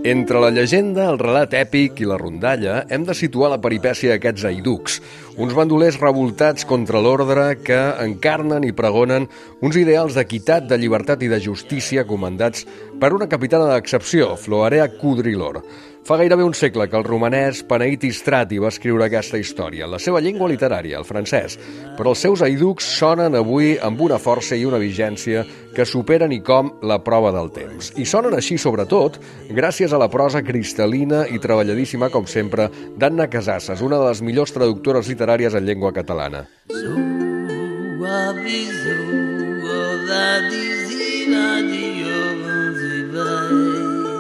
Entre la llegenda, el relat èpic i la rondalla hem de situar la peripècia d'aquests haiducs, uns bandolers revoltats contra l'ordre que encarnen i pregonen uns ideals d'equitat, de llibertat i de justícia comandats per una capitana d'excepció, Floarea Codrilor. Fa gairebé un segle que el romanès Paneiti Strati va escriure aquesta història, en la seva llengua literària, el francès, però els seus haiducs sonen avui amb una força i una vigència que superen i com la prova del temps. I sonen així, sobretot, gràcies a la prosa cristal·lina i treballadíssima, com sempre, d'Anna Casasses, una de les millors traductores literàries en llengua catalana.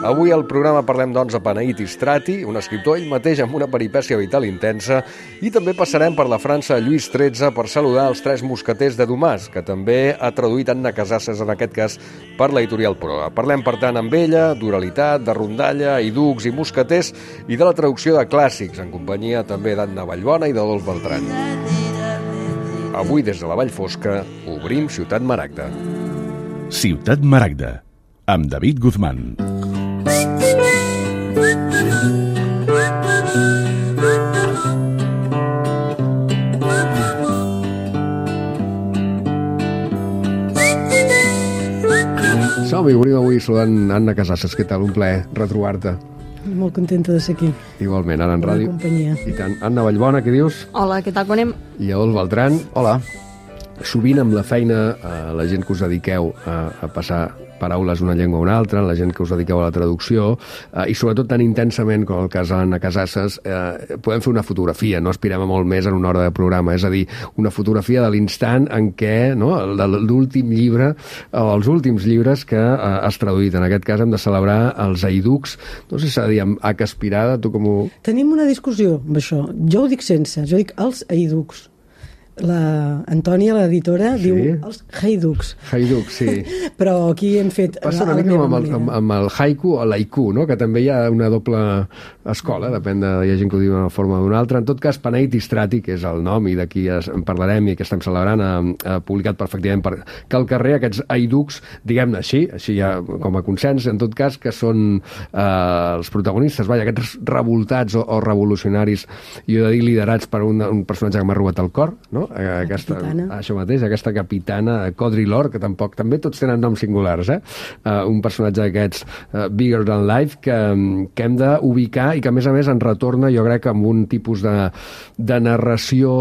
Avui al programa parlem, doncs, de Paneiti Strati, un escriptor ell mateix amb una peripècia vital intensa, i també passarem per la França de Lluís XIII per saludar els tres mosqueters de Dumas, que també ha traduït Anna Casasses, en aquest cas, per l'editorial Proa. Parlem, per tant, amb ella d'oralitat, de rondalla, haiducs i mosqueters, i de la traducció de clàssics, en companyia també d'Anna Vallbona i d'Adolf Beltrán. Avui, des de la Vall Fosca, obrim Ciutat Maragda. Ciutat Maragda, amb David Guzmán. Som-hi, obrim avui saludant Anna Casasses. Què tal? Un plaer retrobar-te. Molt contenta de ser aquí. Igualment, ara en ràdio. I tant. Anna Vallbona, què dius? Hola, què tal, com anem? I Adolf Beltrán. Hola. Sovint amb la feina, la gent que us dediqueu a passar paraules d'una llengua a una altra, la gent que us dediqueu a la traducció, i sobretot tan intensament com el cas d'Anna Casasses, podem fer una fotografia, no aspirem a molt més en una hora de programa, és a dir, una fotografia de l'instant en què, no, l'últim llibre, o els últims llibres que has traduït. En aquest cas hem de celebrar els haiducs, no sé si s'ha de dir amb H aspirada, tu com ho... Tenim una discussió amb això, jo ho dic sense, jo dic els haiducs. La Antònia, l'editora, sí? Diu els haiducs. Haiducs, sí. Però aquí hem fet... Passa una mica amb el haiku o l'haiku, no? Que també hi ha una doble escola, depèn de... Hi ha gent que ho diu d'una forma o d'una altra. En tot cas, Paneiti Strati, que és el nom i d'aquí en parlarem i que estem celebrant, ha publicat perfectament que al carrer aquests haiducs, diguem-ne així ja com a consens, en tot cas, que són els protagonistes, aquests revoltats o revolucionaris, jo he de dir liderats per un personatge que m'ha robat el cor, no? Això mateix, aquesta capitana Codrilor, que també tots tenen noms singulars, un personatge d'aquests bigger than life que hem d'ubicar i que a més ens retorna, jo crec, amb un tipus de narració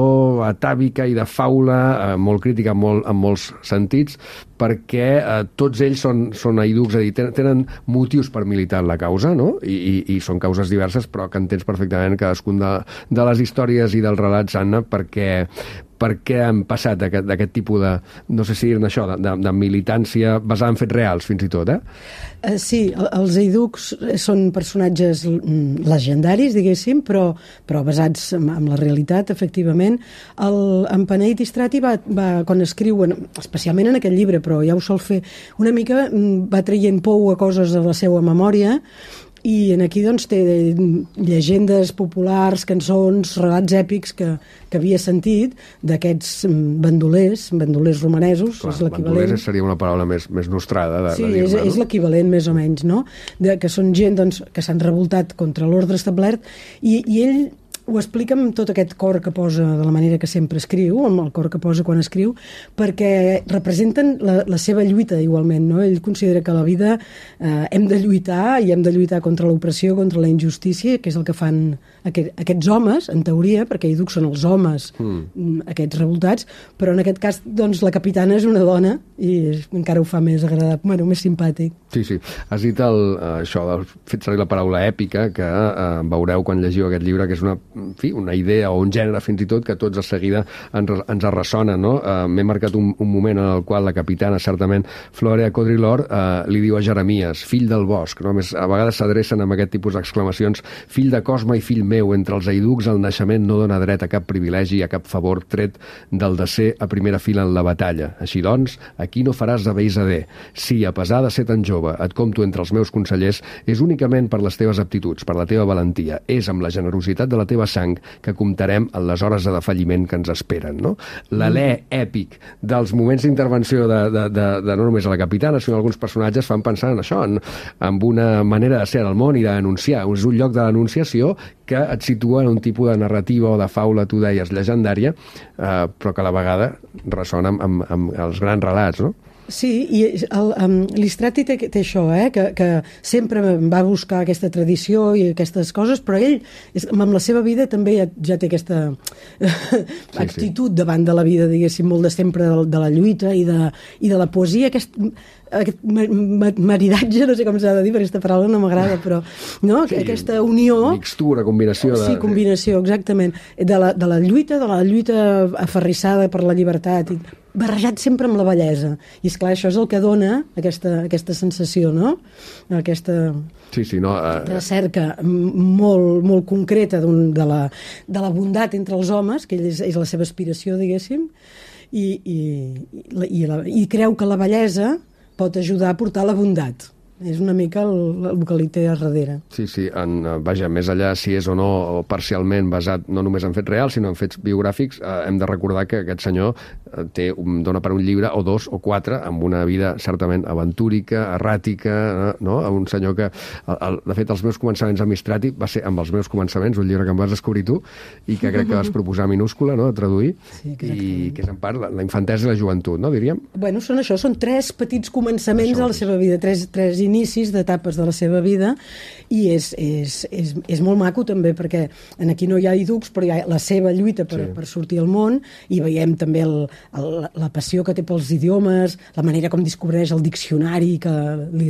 atàvica i de faula molt crítica en molts sentits, perquè tots ells són haiducs, és a dir, tenen motius per militar en la causa, no? I són causes diverses, però que entens perfectament cadascun de les històries i dels relats, Anna, perquè han passat d'aquest tipus de, no sé si dir-ne això, de militància basada en fets reals, fins i tot, Sí, els haiducs són personatges legendaris, diguéssim, però basats en la realitat, efectivament. En Paneiti Strati quan escriuen, especialment en aquest llibre, però ja ho sol fer, una mica va traient pou a coses de la seva memòria, i aquí doncs té llegendes populars, cançons, relats èpics que havia sentit d'aquests bandolers romanesos. Clar, bandolers seria una paraula més nostrada. Sí, és l'equivalent més o menys, no? Que són gent doncs, que s'han revoltat contra l'ordre establert i ell ho explica amb tot aquest cor que posa de la manera que sempre escriu, amb el cor que posa quan escriu, perquè representen la seva lluita igualment, no? Ell considera que a la vida hem de lluitar i hem de lluitar contra l'opressió, contra la injustícia, que és el que fan aquests homes, en teoria, perquè ells són els homes, aquests revoltats, però en aquest cas doncs, la capitana és una dona i encara ho fa més agradable, més simpàtic. Sí. Has dit això, fet servir la paraula èpica, que veureu quan llegiu aquest llibre, que és una idea o un gènere fins i tot que tots de seguida ens ressona, no? M'he marcat un moment en el qual la capitana, certament, Floarea Codrilor, li diu a Jeremies, fill del bosc, no? A vegades s'adrecen amb aquest tipus d'exclamacions, fill de Cosme i fill meu, entre els haiducs el naixement no dona dret a cap privilegi, a cap favor tret del de ser a primera fila en la batalla. Així doncs, aquí no faràs de beisader. Si, a pesar de ser tan jove, et compto entre els meus consellers, és únicament per les teves aptituds, per la teva valentia, és amb la generositat de la teva la sang que comptarem en les hores de defalliment que ens esperen, no? L'alè èpic dels moments d'intervenció de no només a la capitana, sinó alguns personatges fan pensar en això, en una manera de ser al món i de denunciar. És un lloc de denunciació que et situa en un tipus de narrativa o de faula, tu deies, llegendària, però que a la vegada ressona amb els grans relats, no? Sí, i l'Istrati té això, que sempre va buscar aquesta tradició i aquestes coses, però ell, amb la seva vida, també ja té aquesta actitud davant de la vida, diguéssim, molt de sempre de la lluita i de la poesia, aquest maridatge, no sé com s'ha de dir, perquè aquesta paraula no m'agrada, però no? Sí, aquesta unió... Mixtura, combinació. Sí, combinació, exactament. De la lluita aferrissada per la llibertat, barrejat sempre amb la bellesa. I, esclar, això és el que dona aquesta sensació, no? Aquesta recerca molt, molt concreta de la bondat entre els homes, que és la seva aspiració, diguéssim, i creu que la bellesa pot ajudar a portar la bondat. És una mica el que li té a darrere. Sí, vaja, més allà si és o no parcialment basat no només en fets reals, sinó en fets biogràfics, hem de recordar que aquest senyor dona per un llibre o dos o quatre amb una vida certament aventúrica, erràtica, no? Un senyor que, de fet, els meus començaments a Mistrati va ser amb els meus començaments, un llibre que em vas descobrir tu i que crec que vas proposar minúscula, no?, a traduir, i que és en part la infantesa i la joventut, no, diríem? Bueno, són tres petits començaments de la seva vida, tres inicis d'etapes de la seva vida, i és molt maco també, perquè aquí no hi ha iducs, però hi ha la seva lluita per sortir al món, i veiem també la passió que té pels idiomes, la manera com descobreix el diccionari, que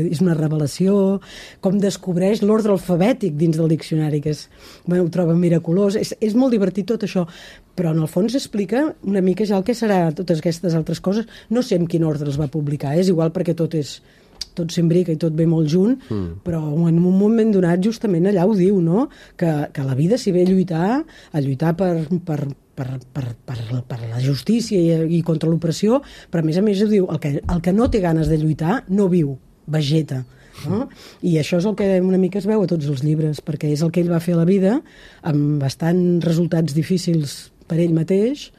és una revelació, com descobreix l'ordre alfabètic dins del diccionari, que ho troba miraculós. És molt divertit tot això, però en el fons explica una mica ja el que serà totes aquestes altres coses. No sé en quin ordre els va publicar, és igual perquè tot s'imbrica i tot ve molt junt, però en un moment donat justament allà ho diu, no? Que la vida s'hi ve a lluitar per la justícia i contra l'opressió, però a més ho diu, el que no té ganes de lluitar no viu, vegeta. No? I això és el que una mica es veu a tots els llibres, perquè és el que ell va fer a la vida, amb bastants resultats difícils per ell mateix,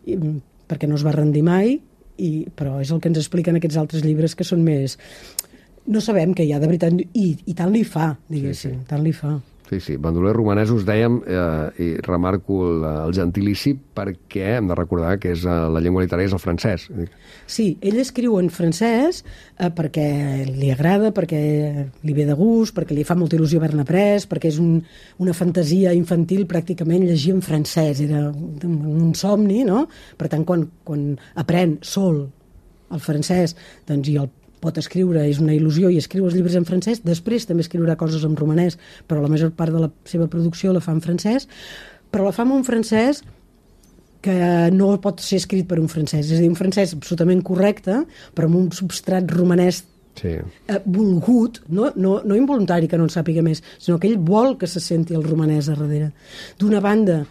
perquè no es va rendir mai, però és el que ens expliquen aquests altres llibres que són més... No sabem què hi ha de veritat, i tant li fa, diguéssim, tant li fa. Sí, bandolers romanesos, dèiem, i remarco el gentilici perquè hem de recordar que la llengua literària és el francès. Sí, ell escriu en francès perquè li agrada, perquè li ve de gust, perquè li fa molta il·lusió haver-ne après, perquè és una fantasia infantil pràcticament llegir en francès, era un somni, no? Per tant, quan aprèn sol el francès, doncs i el pot escriure, és una il·lusió, i escriu els llibres en francès, després també escriurà coses en romanès, però la major part de la seva producció la fa en francès, però la fa en un francès que no pot ser escrit per un francès, és a dir, un francès absolutament correcte, però amb un substrat romanès volgut, no involuntari, que no en sàpiga més, sinó que ell vol que se senti el romanès a darrere. D'una banda,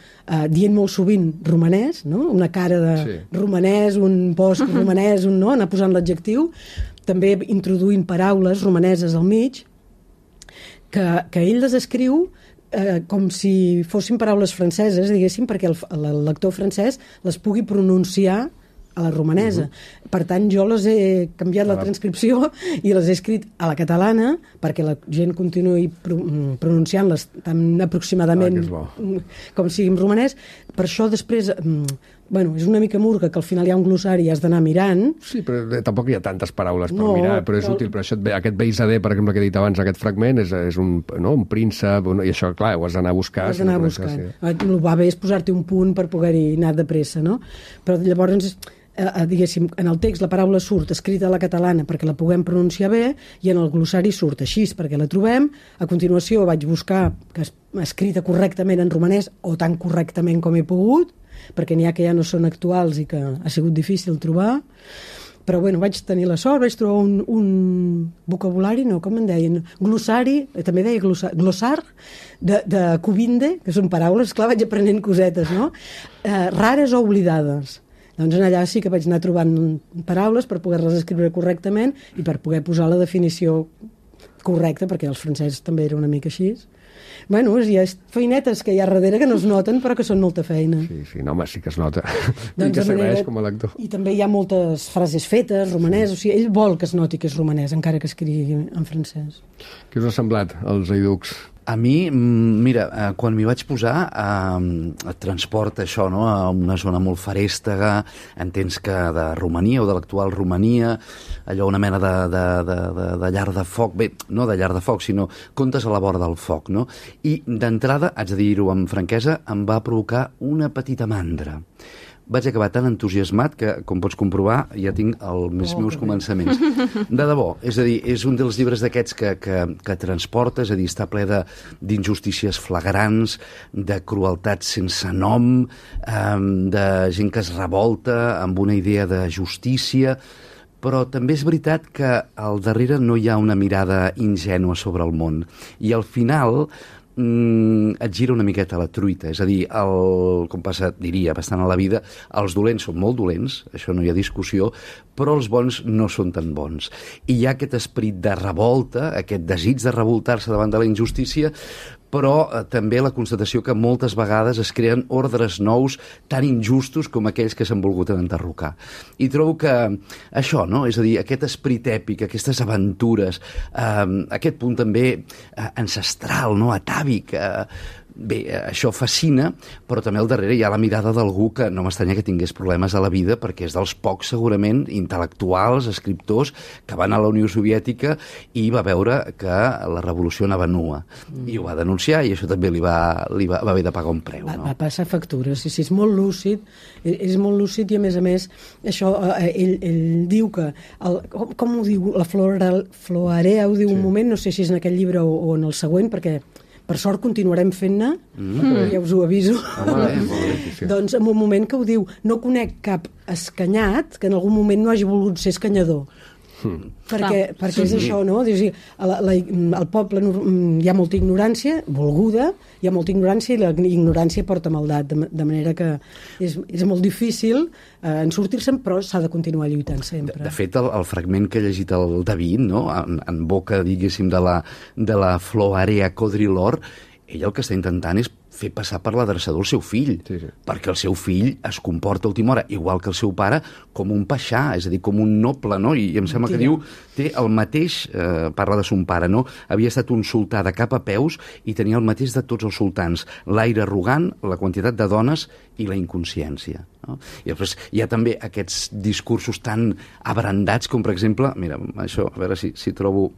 dient molt sovint romanès, no? Una cara de romanès, un bosc romanès, anar posant l'adjectiu, també introduint paraules romaneses al mig, que ell les escriu com si fossin paraules franceses, diguéssim, perquè el lector francès les pugui pronunciar a la romanesa. Per tant, jo les he canviat la transcripció i les he escrit a la catalana perquè la gent continuï pronunciant-les tan aproximadament com sigui en romanès. Per això després... és una mica murga, que al final hi ha un glossari i has d'anar mirant. Sí, però tampoc hi ha tantes paraules per mirar, però és útil. Però aquest beisader, per exemple, que he dit abans, aquest fragment, és un príncep, i això, clar, ho has d'anar a buscar. Has d'anar a buscar. El va bé és posar-te un punt per poder-hi anar de pressa, no? Però llavors... diguéssim, en el text la paraula surt escrita a la catalana perquè la puguem pronunciar bé, i en el glossari surt així perquè la trobem. A continuació vaig buscar que escrita correctament en romanès, o tan correctament com he pogut, perquè n'hi ha que ja no són actuals i que ha sigut difícil trobar. Però vaig tenir la sort, vaig trobar un vocabulari, no, com en deien, glossari, també deia glossar, de Cubinde, que són paraules, clar, vaig aprenent cosetes, no? Rares o oblidades. Doncs allà sí que vaig anar trobant paraules per poder-les escriure correctament i per poder posar la definició correcta, perquè els francesos també era una mica així. Bueno, hi ha feinetes que hi ha darrere que no es noten, però que són molta feina. Sí, no, home, sí que es nota. Doncs I que serveix com a lector. I també hi ha moltes frases fetes, romanès, o sigui, ell vol que es noti que és romanès, encara que escrigui en francès. Què us ha semblat, els Eiducs? A mi, mira, quan m'hi vaig posar, et transporta això, no?, a una zona molt farèstega, entens que de Romania o de l'actual Romania, allò una mena de llar de foc, bé, no de llar de foc, sinó contes a la vora del foc, no? I d'entrada, haig de dir-ho amb franquesa, em va provocar una petita mandra. Vaig acabar tan entusiasmat que, com pots comprovar, ja tinc els meus començaments. De debò, és a dir, és un dels llibres d'aquests que transporta, és a dir, està ple d'injustícies flagrants, de crueltat sense nom, de gent que es revolta amb una idea de justícia, però també és veritat que al darrere no hi ha una mirada ingènua sobre el món. I al final et gira una miqueta la truita, és a dir, com passa, diria, bastant a la vida, els dolents són molt dolents, això no hi ha discussió, però els bons no són tan bons. I hi ha aquest esperit de revolta, aquest desig de revoltar-se davant de la injustícia, però també la constatació que moltes vegades es creen ordres nous tan injustos com aquells que s'han volgut enderrocar. I trobo que això, no?, és a dir, aquest esperit èpic, aquestes aventures, aquest punt també ancestral, no?, atàvic, bé, això fascina, però també al darrere hi ha la mirada d'algú que no m'estranya que tingués problemes a la vida, perquè és dels pocs, segurament, intel·lectuals, escriptors, que van a la Unió Soviètica i va veure que la revolució anava nua. I ho va denunciar i això també li va haver de pagar un preu. No? Va passar factura, sí, és molt lúcid, és molt lúcid i a més, això, ell diu que, com ho diu, la Floarea ho diu un moment, no sé si és en aquest llibre o en el següent, perquè per sort continuarem fent-ne, ja us ho aviso. Doncs en un moment que ho diu, no conec cap escanyat que en algun moment no hagi volgut ser escanyador. Perquè és això, no? Al poble hi ha molta ignorància, volguda, hi ha molta ignorància i la ignorància porta maldat, de manera que és molt difícil en sortir-se'n, però s'ha de continuar lluitant sempre. De fet, el fragment que ha llegit el David, no?, en boca, diguéssim, de la Floarea Codrilor, ell el que està intentant és fer passar per l'adreçador el seu fill, perquè el seu fill es comporta a última hora, igual que el seu pare, com un paixà, és a dir, com un noble, no? I em sembla que diu, té el mateix, parla de son pare, no? Havia estat un sultà de cap a peus i tenia el mateix de tots els sultans, l'aire arrogant, la quantitat de dones i la inconsciència. No? I després hi ha també aquests discursos tan abrandats com, per exemple, mira, això, a veure si trobo...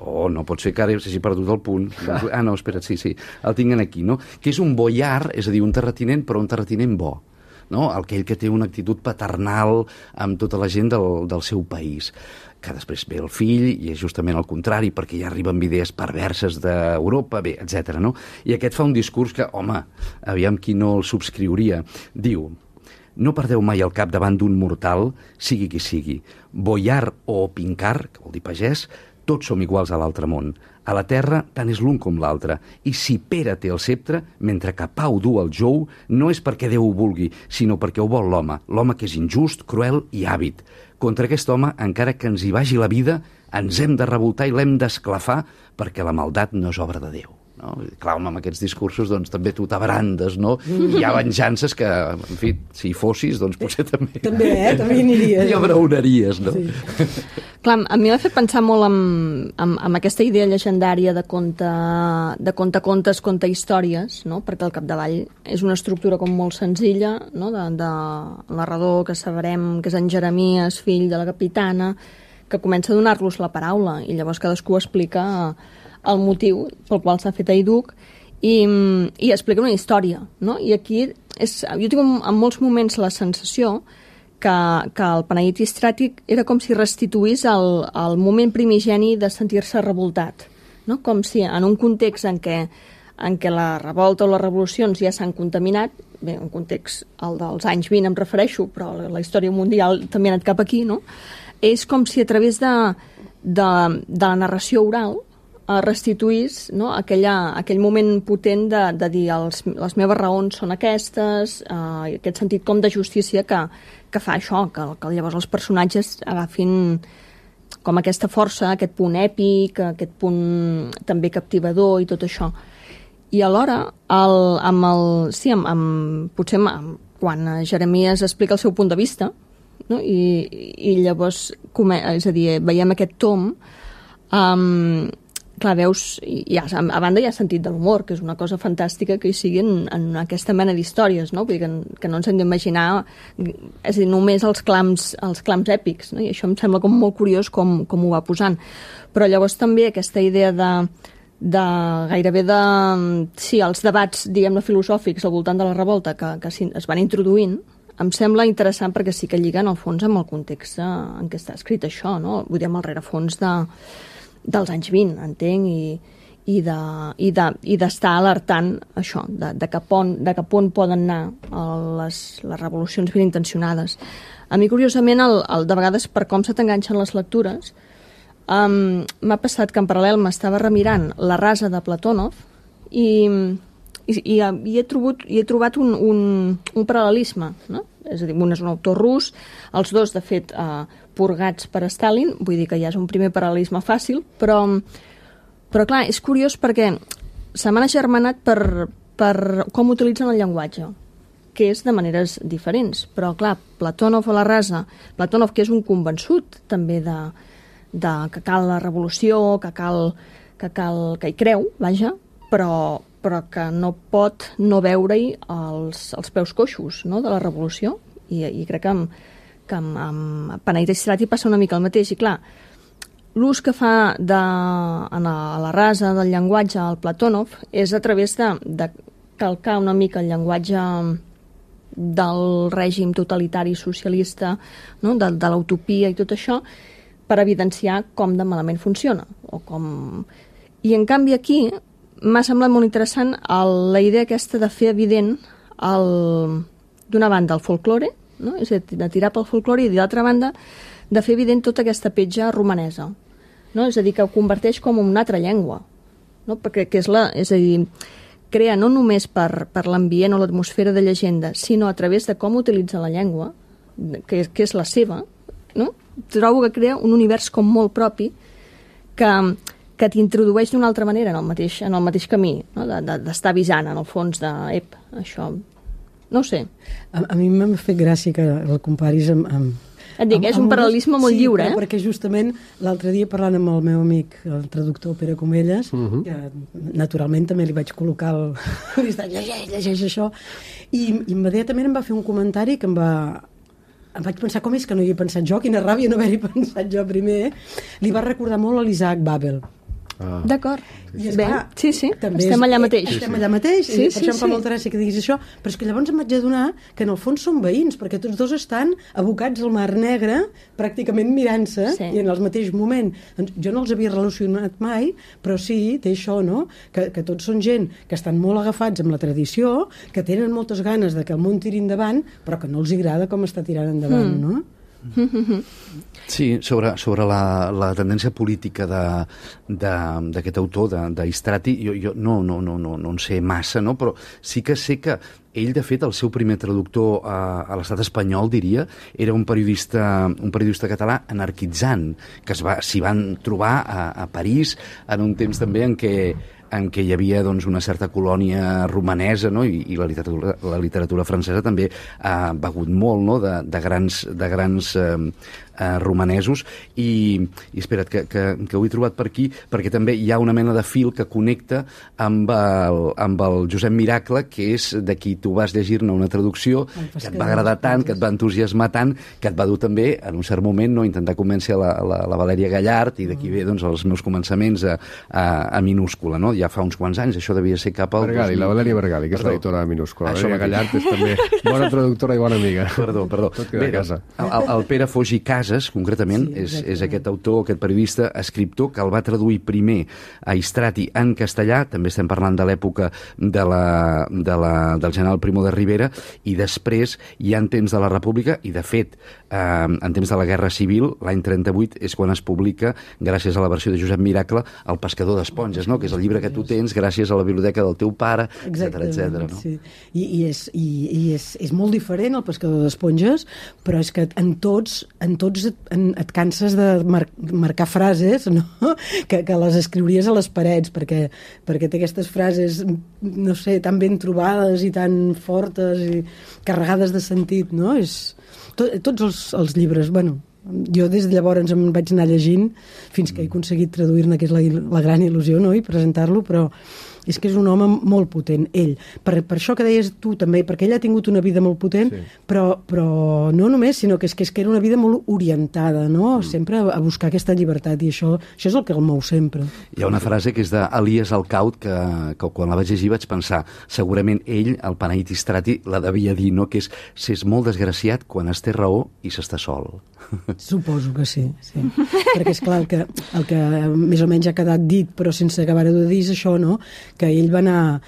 Oh, no pot ser que ara s'hagi perdut el punt. Ah, no, espera't, sí, el tinc aquí, no? Que és un boiar, és a dir, un terratinent, però un terratinent bo, no? Aquell que té una actitud paternal amb tota la gent del seu país, que després ve el fill i és justament el contrari, perquè ja arriben idees perverses d'Europa, bé, etc. No? I aquest fa un discurs que, home, aviam qui no el subscriuria. Diu: no perdeu mai el cap davant d'un mortal, sigui qui sigui. Boiar o pincar, que vol dir pagès, tots som iguals a l'altre món. A la terra tant és l'un com l'altre. I si Pere té el ceptre, mentre que Pau du el jou, no és perquè Déu ho vulgui, sinó perquè ho vol l'home. L'home que és injust, cruel i àvid. Contra aquest home, encara que ens hi vagi la vida, ens hem de revoltar i l'hem d'esclafar, perquè la maldat no és obra de Déu. No? Clar, amb aquests discursos doncs, també tu t'abrandes, no? Hi ha venjances que, en fi, si hi fossis, doncs potser també... També aniries. Hi abraonaries, no? Sí. Clar, a mi m'ha fet pensar molt en aquesta idea llegendària de contes, conta històries, no? Perquè al capdavall és una estructura com molt senzilla, no? de narrador, que sabrem que és en Jeremies, fill de la capitana, que comença a donar-los la paraula, i llavors cadascú explica el motiu pel qual s'ha fet Eiduc i explica una història, no? I aquí jo tinc en molts moments la sensació que el Penedit Istràtic era com si restituís el moment primigeni de sentir-se revoltat, no? Com si en un context en què la revolta o les revolucions ja s'han contaminat, bé, un context, el dels anys 20 em refereixo, però la història mundial també ha anat cap aquí, no? És com si a través de la narració oral restituís, no? aquell moment potent de dir les meves raons són aquestes, aquest sentit com de justícia que fa això, que llavors els personatges agafin com aquesta força, aquest punt èpic, aquest punt també captivador i tot això. I alhora, quan Jeremies explica el seu punt de vista, no? I llavors, és a dir, veiem aquest tom, clar, veus, a banda hi ha sentit de l'humor, que és una cosa fantàstica que hi sigui en aquesta mena d'històries, no? Vull dir que no ens hem d'imaginar, és a dir, només els clams èpics, no? I això em sembla com molt curiós com ho va posant. Però llavors també aquesta idea els debats, diguem-ne, filosòfics al voltant de la revolta que es van introduint, em sembla interessant perquè sí que lliga en el fons amb el context en què està escrit això, no? Vull dir, amb el rerefons dels anys 20, entenc, i d'estar alertant això, de cap on poden anar les revolucions ben intencionades. A mi, curiosament, de vegades, per com se t'enganxen les lectures, m'ha passat que en paral·lel m'estava remirant La rasa de Platònov i he trobat un paral·lelisme, no? És a dir, un és un autor rus, els dos, de fet, purgats per Stalin, vull dir que ja és un primer paral·lelisme fàcil, però clar, és curiós perquè se m'han agermanat per com utilitzen el llenguatge, que és de maneres diferents, però clar, Platònov a La rasa, Platònov, que és un convençut també que cal la revolució, que hi creu, vaja, però que no pot no veure-hi els peus coixos, no?, de la revolució. I crec que amb Panay Strati passa una mica el mateix. I clar, l'ús que fa a La rasa del llenguatge al Platònov és a través de calcar una mica el llenguatge del règim totalitari socialista, no?, de l'utopia i tot això, per evidenciar com de malament funciona. I en canvi aquí m'ha semblat molt interessant la idea aquesta de fer evident d'una banda el folklore, no? És a dir, de tirar pel folklore, i de l'altra banda de fer evident tota aquesta petja romanesa, no? És a dir, que ho converteix com en una altra llengua, no? Perquè és a dir, crea no només per l'ambient o l'atmosfera de llegenda, sinó a través de com utilitza la llengua, que és la seva, no? Trobo que crea un univers com molt propi que t'introdueix d'una altra manera en el mateix camí, no? D'estar avisant, en el fons, això... No ho sé. A mi m'ha fet gràcia que el comparis amb et dic, és un paral·lelisme molt lliure, Sí, perquè justament l'altre dia parlant amb el meu amic, el traductor Pere Comelles, que naturalment també li vaig col·locar llegeix això, i immediatament em va fer un comentari que em vaig pensar, com és que no hi he pensat jo? Quina ràbia no haver-hi pensat jo primer. Li va recordar molt a l'Isaac Babel. D'acord. Bé, sí, estem allà mateix. Estem allà mateix, per això em fa molta gràcia que diguis això, però és que llavors em vaig adonar que en el fons són veïns, perquè tots dos estan abocats al Mar Negre, pràcticament mirant-se, i en el mateix moment. Doncs jo no els havia relacionat mai, però sí, té això, no?, que tots són gent que estan molt agafats amb la tradició, que tenen moltes ganes de que el món tiri endavant, però que no els agrada com està tirant endavant, no? Sí, sobre la tendència política d'aquest autor, d'Istrati, jo no en sé massa, no? Però sí que sé que ell, de fet, el seu primer traductor a l'estat espanyol, diria, era un periodista català anarquitzant, que s'hi van trobar a París en un temps també en què hi havia, doncs, una certa colònia romanesa, no? I la literatura francesa també ha begut molt, no?, de grans romanesos, i espera't, que ho he trobat per aquí, perquè també hi ha una mena de fil que connecta amb el Josep Miracle, que és de qui tu vas llegir-ne una traducció que et va agradar tant, que et va entusiasmar tant, que et va dur també, en un cert moment, no, intentar convèncer la Valèria Gallart, i d'aquí ve, doncs, els meus començaments a minúscula, no? Ja fa uns quants anys, això devia ser cap al... Bergali, la Valèria Bergali, que és l'editora de minúscula. La Valèria Gallart és també bona traductora i bona amiga. Perdó. Bé, el Pere Foix i Casas, concretament, és aquest autor, aquest periodista, escriptor, que el va traduir primer a Istrati en castellà, també estem parlant de l'època del general Primo de Rivera, i després, ja en temps de la República, i de fet, en temps de la Guerra Civil, l'any 38, és quan es publica, gràcies a la versió de Josep Miracle, El pescador d'esponges, no?, que és el llibre que tu tens gràcies a la biblioteca del teu pare, etc. No? Sí. I és molt diferent, El pescador d'esponges, però és que en tots tots et canses de marcar frases, no? que les escriuries a les parets, perquè té aquestes frases, no sé, tan ben trobades i tan fortes i carregades de sentit, no? Tots els llibres, bueno, jo des de llavors em vaig anar llegint fins que he aconseguit traduir-ne, que és la gran il·lusió, no?, i presentar-lo, però és que és un home molt potent, ell. Per això que deies tu també, perquè ell ha tingut una vida molt potent, sí. però no només, sinó que és que era una vida molt orientada, no? Sempre a buscar aquesta llibertat, i això és el que el mou sempre. Hi ha una frase que és d'Elias Alcaut, que quan la vaig llegir vaig pensar, segurament ell, el Panaitis Strati, la devia dir, no?, que és molt desgraciat quan es té raó i s'està sol. Suposo que sí. Perquè és clar, el que més o menys ha quedat dit, però sense acabar de dir, és això, no?, que ell va anar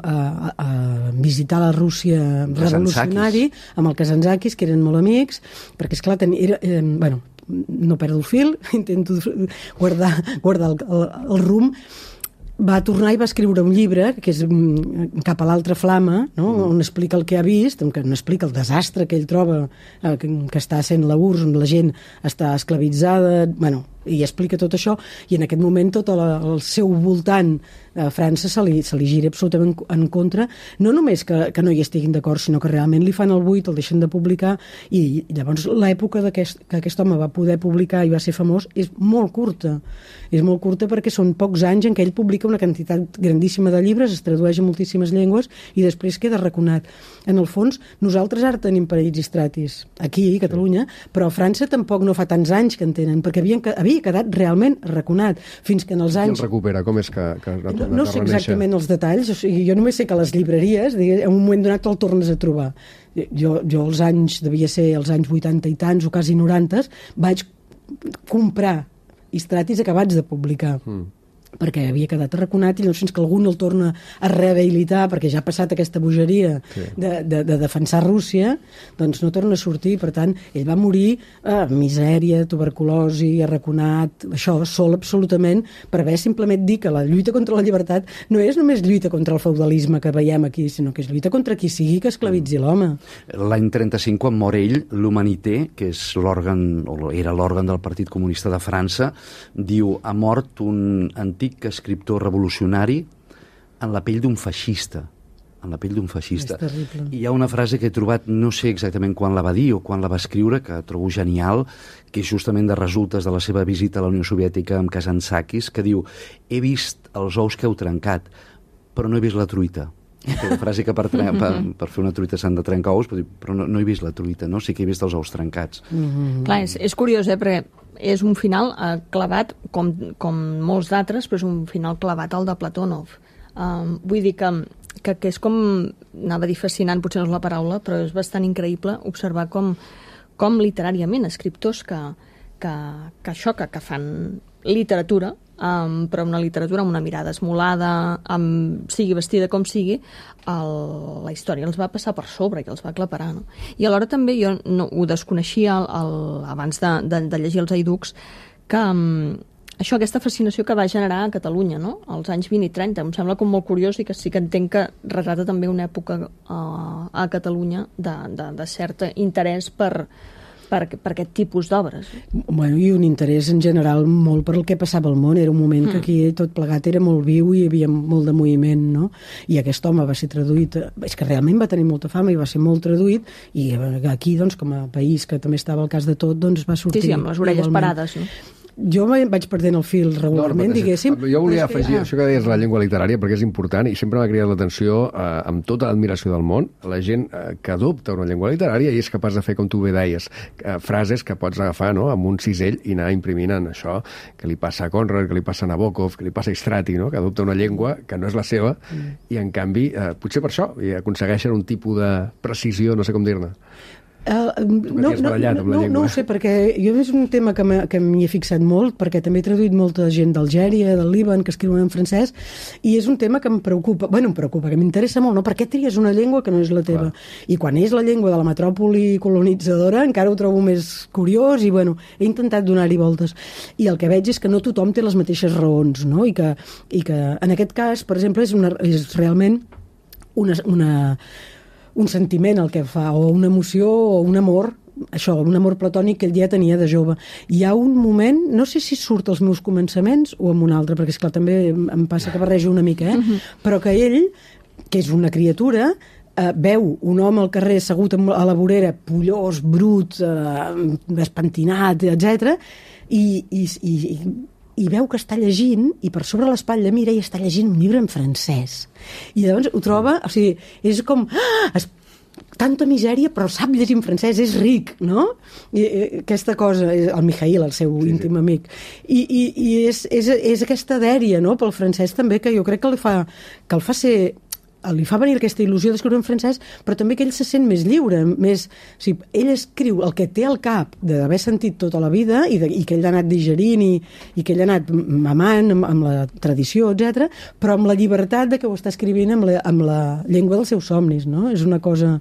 a visitar la Rússia revolucionari amb el Kazantzakis, que eren molt amics, perquè és clar, bueno, no perdo el fil, intento guardar el rumb. Va tornar i va escriure un llibre, que és Cap a l'altra flama, no?, on explica el que ha vist, on explica el desastre que ell troba, que està sent la URSS, on la gent està esclavitzada, bueno, i explica tot això, i en aquest moment tot el seu voltant a França se li gira absolutament en contra, no només que no hi estiguin d'acord, sinó que realment li fan el buit, el deixen de publicar, i llavors l'època que aquest home va poder publicar i va ser famós és molt curta perquè són pocs anys en què ell publica una quantitat grandíssima de llibres, es tradueix a moltíssimes llengües i després queda raconat. En el fons, nosaltres ara tenim Panaitis Stratis aquí, a Catalunya, però a França tampoc no fa tants anys que en tenen, perquè havia quedat realment raconat, fins que en els anys... Qui el recupera? Com és que no sé exactament els detalls, o sigui, jo només sé que les llibreries, en un moment donat el tornes a trobar. Jo els anys, devia ser els anys 80 i tants, o quasi 90, vaig comprar Stratis acabats de publicar. Perquè havia quedat arraconat, i llavors fins que algú no el torna a rehabilitar, perquè ja ha passat aquesta bogeria de defensar Rússia, doncs no torna a sortir. Per tant, ell va morir misèria, tuberculosi, arraconat, això, sol absolutament, per haver simplement dit que la lluita contra la llibertat no és només lluita contra el feudalisme que veiem aquí, sinó que és lluita contra qui sigui que esclavitzi l'home. L'any 35, quan mor ell, l'Humanité, que és l'òrgan, o era l'òrgan del Partit Comunista de França, diu, ha mort un antic escriptor revolucionari en la pell d'un feixista. En la pell d'un feixista. És terrible. I hi ha una frase que he trobat, no sé exactament quan la va dir o quan la va escriure, que trobo genial, que és justament de resultes de la seva visita a la Unió Soviètica amb Kazantzakis, que diu, he vist els ous que heu trencat, però no he vist la truita. Que la frase que per fer una truita s'han de trencar ous, però no he vist la truita, no? Sí que he vist els ous trencats. Clar, és curiós, perquè és un final clavat, com molts d'altres, però és un final clavat al de Platónov. Vull dir que és com, anava a dir fascinant, potser no és la paraula, però és bastant increïble observar com literàriament escriptors que fan literatura, però una literatura amb una mirada esmolada, sigui vestida com sigui, la història els va passar per sobre i els va aclaparar, no? I alhora també jo ho desconeixia abans de llegir els Haiducs, que aquesta fascinació que va generar a Catalunya, no?, als anys 20 i 30, em sembla com molt curiós, i que sí que entenc que retrata també una època a Catalunya de cert interès per aquest tipus d'obres. Bueno, i un interès en general molt per el que passava al món. Era un moment que aquí tot plegat era molt viu i hi havia molt de moviment, no? I aquest home va ser traduït, és que realment va tenir molta fama i va ser molt traduït, i aquí, doncs, com a país que també estava al cas de tot, doncs va sortir... Sí, amb les orelles parades, no? Jo vaig perdent el fil regularment, diguéssim. Jo volia afegir això que deies, la llengua literària, perquè és important i sempre m'ha cridat l'atenció, amb tota l'admiració del món, la gent que adopta una llengua literària i és capaç de fer, com tu bé deies, frases que pots agafar, no?, amb un cisell i anar imprimint en això, que li passa a Conrad, que li passa a Nabokov, que li passa a Strati, no?, que adopta una llengua que no és la seva i, en canvi, potser per això, i aconsegueixen un tipus de precisió, no sé com dir-ne. No ho sé, perquè jo és un tema que m'hi he fixat molt, perquè també he traduït molta gent d'Algèria, del Líban, que escriuen en francès, i és un tema que em preocupa, que m'interessa molt, no? Per què tries una llengua que no és la teva? I quan és la llengua de la metròpoli colonitzadora encara ho trobo més curiós, i he intentat donar-hi voltes. I el que veig és que no tothom té les mateixes raons, no? I que en aquest cas, per exemple, és realment un sentiment el que fa, o una emoció o un amor això, un amor platònic que ell ja tenia de jove. Hi ha un moment, no sé si surt als meus començaments o en un altre, perquè esclar, també em passa que barrejo una mica, però que ell, que és una criatura, veu un home al carrer assegut a la vorera, pollós, brut, despentinat, etc. I veu que està llegint, i per sobre l'espatlla mira i està llegint un llibre en francès. I llavors ho troba, o sigui, és com... tanta misèria, però sap llegir en francès, és ric, no? I aquesta cosa, el Mijail, el seu íntim amic. I és aquesta dèria, no?, pel francès també, que jo crec que li fa venir aquesta il·lusió d'escriure en francès, però també que ell se sent més lliure, més... O sigui, ell escriu el que té al cap d'haver sentit tota la vida i que ell ha anat digerint i que ell ha anat mamant amb la tradició, etc, però amb la llibertat de que ho està escrivint amb la llengua dels seus somnis, no? És una cosa...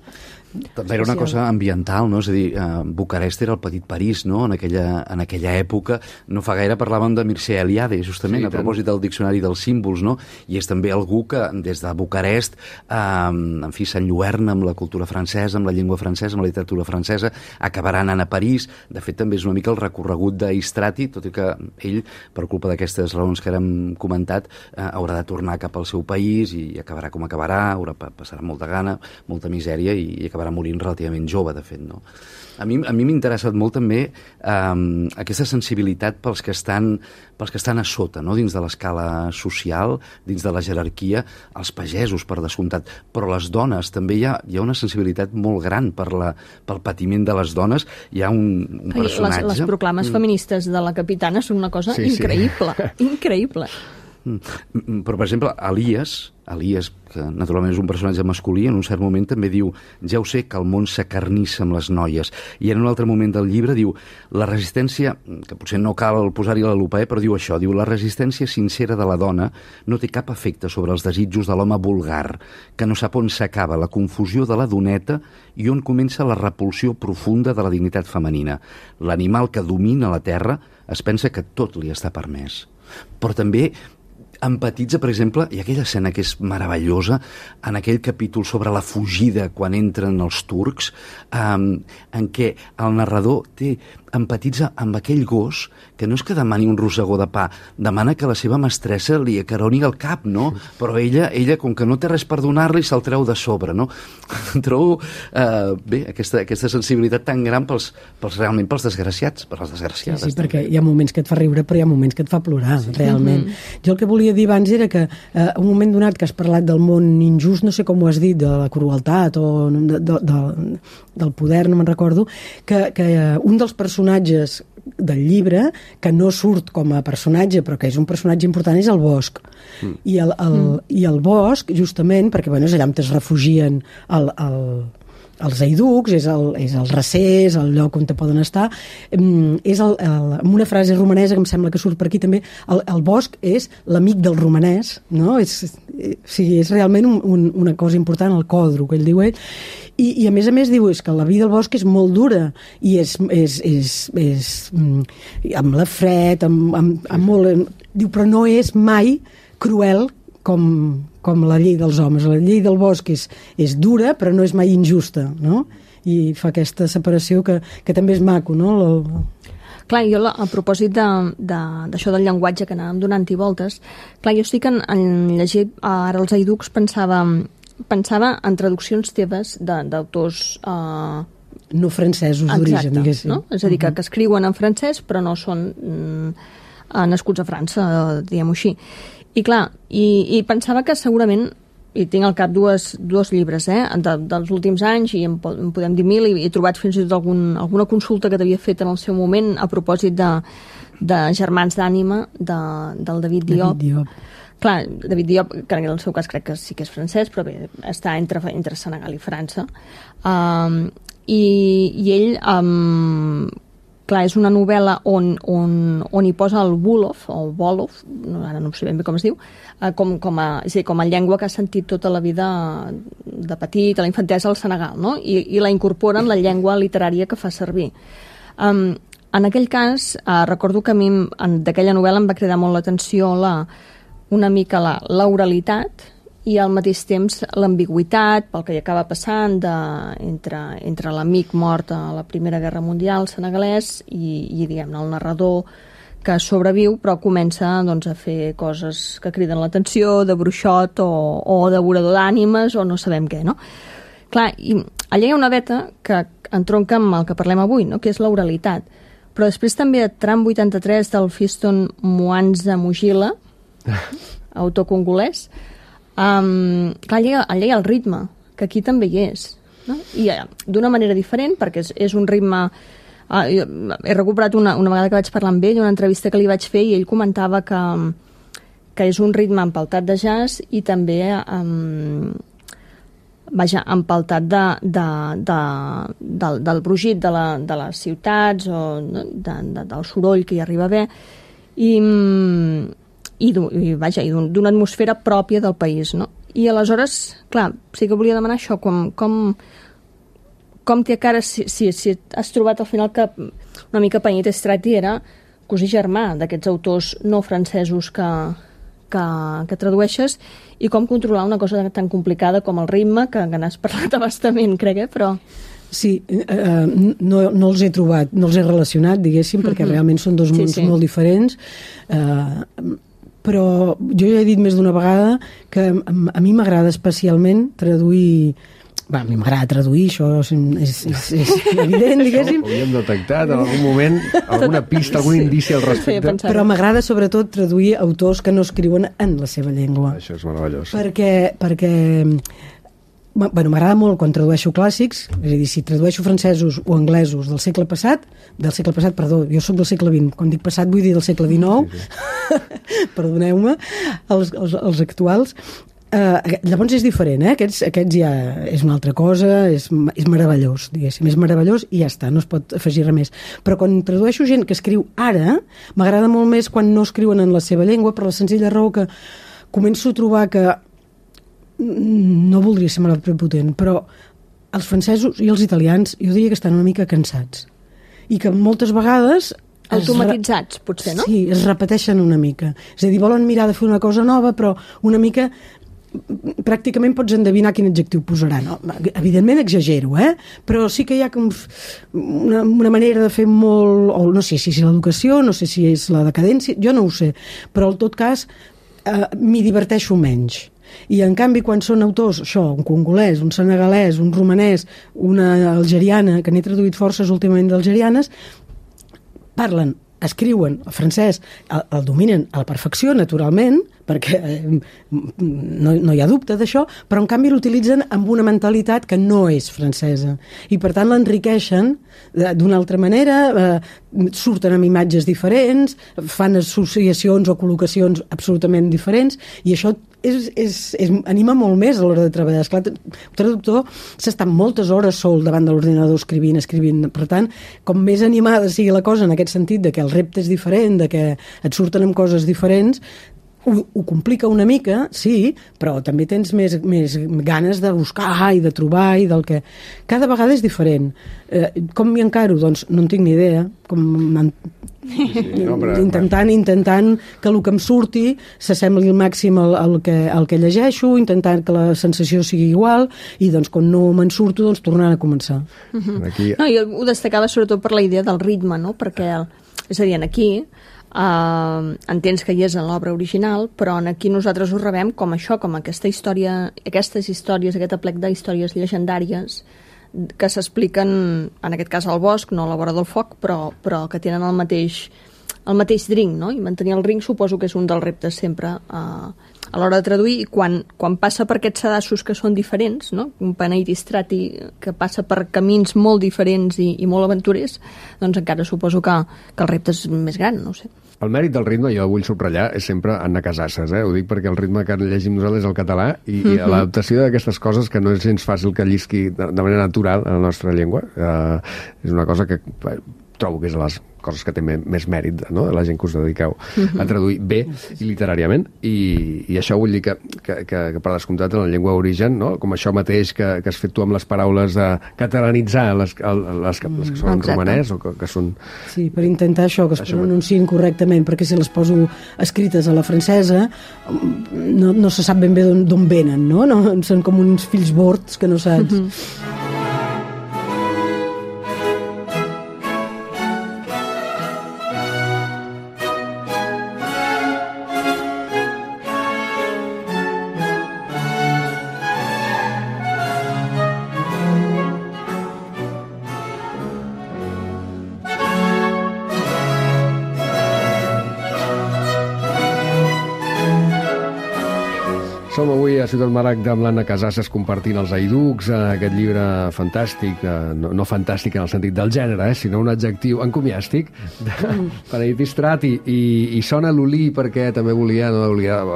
També era una cosa ambiental, no? És a dir, Bucarest era el petit París, no? En aquella època. No fa gaire parlàvem de Mircea Eliade, justament, a propòsit del diccionari dels símbols, no? I és també algú que des de Bucarest, en fi, s'enlluerna amb la cultura francesa, amb la llengua francesa, amb la literatura francesa, acabarà anant a París. De fet, també és una mica el recorregut d'Istrati, tot i que ell, per culpa d'aquestes raons que hem comentat, haurà de tornar cap al seu país i acabarà com acabarà, passarà molta gana, molta misèria i acabarà morint relativament jove, de fet, no? A mi m'ha interessat molt també aquesta sensibilitat pels que estan a sota, no?, dins de l'escala social, dins de la jerarquia, els pagesos, per descomptat, però les dones, també hi ha una sensibilitat molt gran pel patiment de les dones. Hi ha un personatge... Les proclames feministes de la Capitana són una cosa increïble, increïble. Però, per exemple, Elias, que naturalment és un personatge masculí, en un cert moment també diu: ja ho sé que el món s'acarnissa amb les noies. I en un altre moment del llibre diu: la resistència, que potser no cal posar-hi la lupa, però diu això, diu: la resistència sincera de la dona no té cap efecte sobre els desitjos de l'home vulgar, que no sap on s'acaba la confusió de la doneta i on comença la repulsió profunda de la dignitat femenina. L'animal que domina la terra es pensa que tot li està permès. Però també empatitza, per exemple, i aquella escena que és meravellosa, en aquell capítol sobre la fugida quan entren els turcs, en què el narrador empatitza amb aquell gos que no és que demani un rossegó de pa, demana que la seva mestressa li acaroni el cap, no? Però ella, com que no té res per donar-li, se'l treu de sobre, no? Trobo, bé, aquesta sensibilitat tan gran realment pels desgraciats, per les desgraciades. Sí, perquè hi ha moments que et fa riure, però hi ha moments que et fa plorar, realment. Jo el que volia dir abans era que un moment donat que has parlat del món injust, no sé com ho has dit, de la crueltat o del poder, no me'n recordo, que un dels personatges del llibre, que no surt com a personatge, però que és un personatge important, és el Bosc. I el Bosc, justament, perquè bueno, és allà on es refugien els eiducs, és el recer, és el lloc on te poden estar, és amb una frase romanesa que em sembla que surt per aquí també, el Bosc és l'amic del romanès, no? És realment una cosa important, el còdro, que ell diu ell, i a més diu és que la vida al bosc és molt dura i és amb la fred, amb molt... Diu, però no és mai cruel com la llei dels homes. La llei del bosc és dura, però no és mai injusta, no? I fa aquesta separació que també és maco, no? Clar, jo a propòsit d'això del llenguatge que anàvem donant-hi voltes, clar, jo estic en llegir ara els eiducs, pensava en traduccions teves d'autors... no francesos d'origen, diguéssim. No? És a dir, que escriuen en francès però no són nascuts a França, diguem-ho així. I clar, i pensava que segurament, i tinc al cap dos llibres dels últims anys, i en podem dir mil, i he trobat fins i tot alguna consulta que t'havia fet en el seu moment a propòsit de Germans d'ànima del David Diop. Clar, David Diop, que en el seu cas crec que sí que és francès, però bé, està entre Senegal i França. I ell, clar, és una novel·la on hi posa el Wolof, o Wolof, ara no sé ben bé com es diu, com a llengua que ha sentit tota la vida de petit, a la infantesa al Senegal, no? I la incorpora en la llengua literària que fa servir. En aquell cas, recordo que a mi d'aquella novel·la em va cridar molt l'atenció una mica l'oralitat i al mateix temps l'ambigüitat pel que hi acaba passant entre l'amic mort a la Primera Guerra Mundial senegalès i diguem-ne, el narrador que sobreviu però comença doncs, a fer coses que criden l'atenció, de bruixot o devorador d'ànimes o no sabem què, no? Clar, i allà hi ha una veta que entronca amb el que parlem avui, no? Que és l'oralitat. Però després també a Tram 83 del Fiston Mwanza Mujila, autor congolès, clar, allà hi ha el ritme, que aquí també hi és, no? I d'una manera diferent, perquè és un ritme... he recuperat una vegada que vaig parlar amb ell, una entrevista que li vaig fer, i ell comentava que és un ritme empaltat de jazz i també empaltat del brugit de les ciutats o del soroll que hi arriba a haver i d'una atmosfera pròpia del país, no? I aleshores, clar, sí que volia demanar això, com té cara, si has trobat al final que una mica Panit Strati era cosí germà d'aquests autors no francesos que tradueixes, i com controlar una cosa tan complicada com el ritme, que n'has parlat abastament, crec, però... Sí, no els he trobat, no els he relacionat, diguéssim, perquè realment són dos mons molt diferents, però jo ja he dit més d'una vegada que a mi m'agrada especialment traduir... A mi m'agrada traduir, això és evident, diguéssim. Ho havíem detectat en algun moment, alguna pista, algun indici al respecte. Però m'agrada sobretot traduir autors que no escriuen en la seva llengua. Això és meravellós. Perquè m'agrada molt quan tradueixo clàssics, és a dir, si tradueixo francesos o anglesos del segle passat, jo soc del segle XX, quan dic passat vull dir del segle XIX, perdoneu-me, els actuals. Llavors és diferent, aquests ja és una altra cosa, és meravellós, diguéssim, és meravellós i ja està, no es pot afegir res més. Però quan tradueixo gent que escriu ara, m'agrada molt més quan no escriuen en la seva llengua, per la senzilla raó que començo a trobar que no voldria ser molt prepotent, però els francesos i els italians jo diria que estan una mica cansats i que moltes vegades automatitzats, potser, no? Sí, es repeteixen una mica, és a dir, volen mirar de fer una cosa nova, però una mica pràcticament pots endevinar quin adjectiu posarà, no? Evidentment exagero, però sí que hi ha una manera de fer molt, o no sé si és l'educació, no sé si és la decadència, jo no ho sé, però en tot cas m'hi diverteixo menys. I en canvi quan són autors, això, un congolès, un senegalès, un romanès, una algeriana, que n'he traduït forces últimament d'algerianes, parlen, escriuen el francès, el dominen a la perfecció, naturalment, perquè no hi ha dubte d'això, però en canvi l'utilitzen amb una mentalitat que no és francesa. I per tant l'enriqueixen d'una altra manera, surten amb imatges diferents, fan associacions o col·locacions absolutament diferents, i això anima molt més a l'hora de treballar. Esclar, el traductor s'està moltes hores sol davant de l'ordinador escrivint. Per tant, com més animada sigui la cosa en aquest sentit de que el repte és diferent, de que et surten amb coses diferents, ho complica una mica, sí, però també tens més ganes de buscar i de trobar i del que... Cada vegada és diferent. Com m'hi encaro? Doncs no en tinc ni idea. Intentant que el que em surti s'assembli al màxim al que llegeixo, intentant que la sensació sigui igual, i doncs quan no me'n surto, doncs tornant a començar. Aquí... No, jo ho destacava sobretot per la idea del ritme, no? Perquè, és a dir, aquí entens que hi és en l'obra original, però aquí nosaltres ho rebem com això, com aquesta història, aquestes històries, aquest aplec d'històries llegendàries que s'expliquen, en aquest cas al bosc, no a la vora del foc, però que tenen el mateix drink, no? I mantenir el drink suposo que és un dels reptes sempre a l'hora de traduir, i quan passa per aquests sedassos que són diferents, no? Un Panit Strati que passa per camins molt diferents i molt aventurers, doncs encara suposo que el repte és més gran, no ho sé. El mèrit del ritme, jo vull subratllar, és sempre Anna Casasses, ho dic perquè el ritme que llegim nosaltres és el català, i l'adaptació d'aquestes coses que no és gens fàcil que llisqui de manera natural a la nostra llengua, és una cosa que trobo que és coses que té més mèrit, no?, de la gent que us dediqueu a traduir bé i literàriament, i això vull dir que per descomptat en la llengua d'origen, no?, com això mateix que has fet tu amb les paraules de catalanitzar les que són en romanès o que són... Sí, per intentar això, que es pronunciïn correctament, perquè si les poso escrites a la francesa no se sap ben bé d'on venen, no? Són com uns fills bords que no saps. Som avui a Ciutat Maragda amb l'Anna Casasses compartint els Haiducs, aquest llibre fantàstic, no fantàstic en el sentit del gènere, sinó un adjectiu encomiàstic de Penedit Istrat, i sona l'Olí perquè també volia,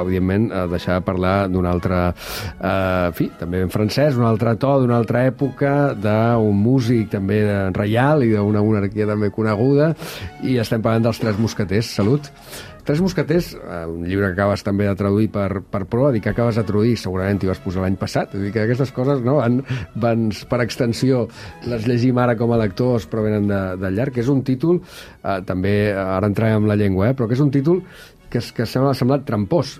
evidentment, deixar de parlar d'un altre, també en francès, un altre to, d'una altra època, d'un músic també reial i d'una monarquia també coneguda, i estem parlant dels Tres Mosqueters. Salut! Tres Mosqueters, un llibre que acabes també de traduir per Proa, que acabes de traduir, segurament t'hi vas posar l'any passat, vull dir que aquestes coses, no, van per extensió, les llegim ara com a lectors, però venen de llarg, que és un títol, també, ara entrarem amb la llengua, però que és un títol que m'ha semblat trampós,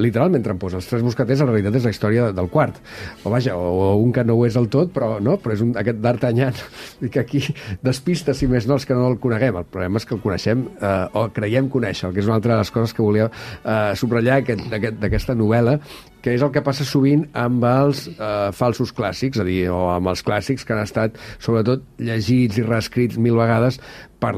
literalment trampós. Els Tres Mosqueters en realitat és la història del quart, o un que no ho és del tot, però és aquest d'Artagnan, que aquí despista, si més no, els que no el coneguem. El problema és que el coneixem o creiem conèixer, que és una altra de les coses que volia subratllar d'aquesta novel·la, que és el que passa sovint amb els falsos clàssics, és a dir, o amb els clàssics que han estat sobretot llegits i reescrits 1000 vegades per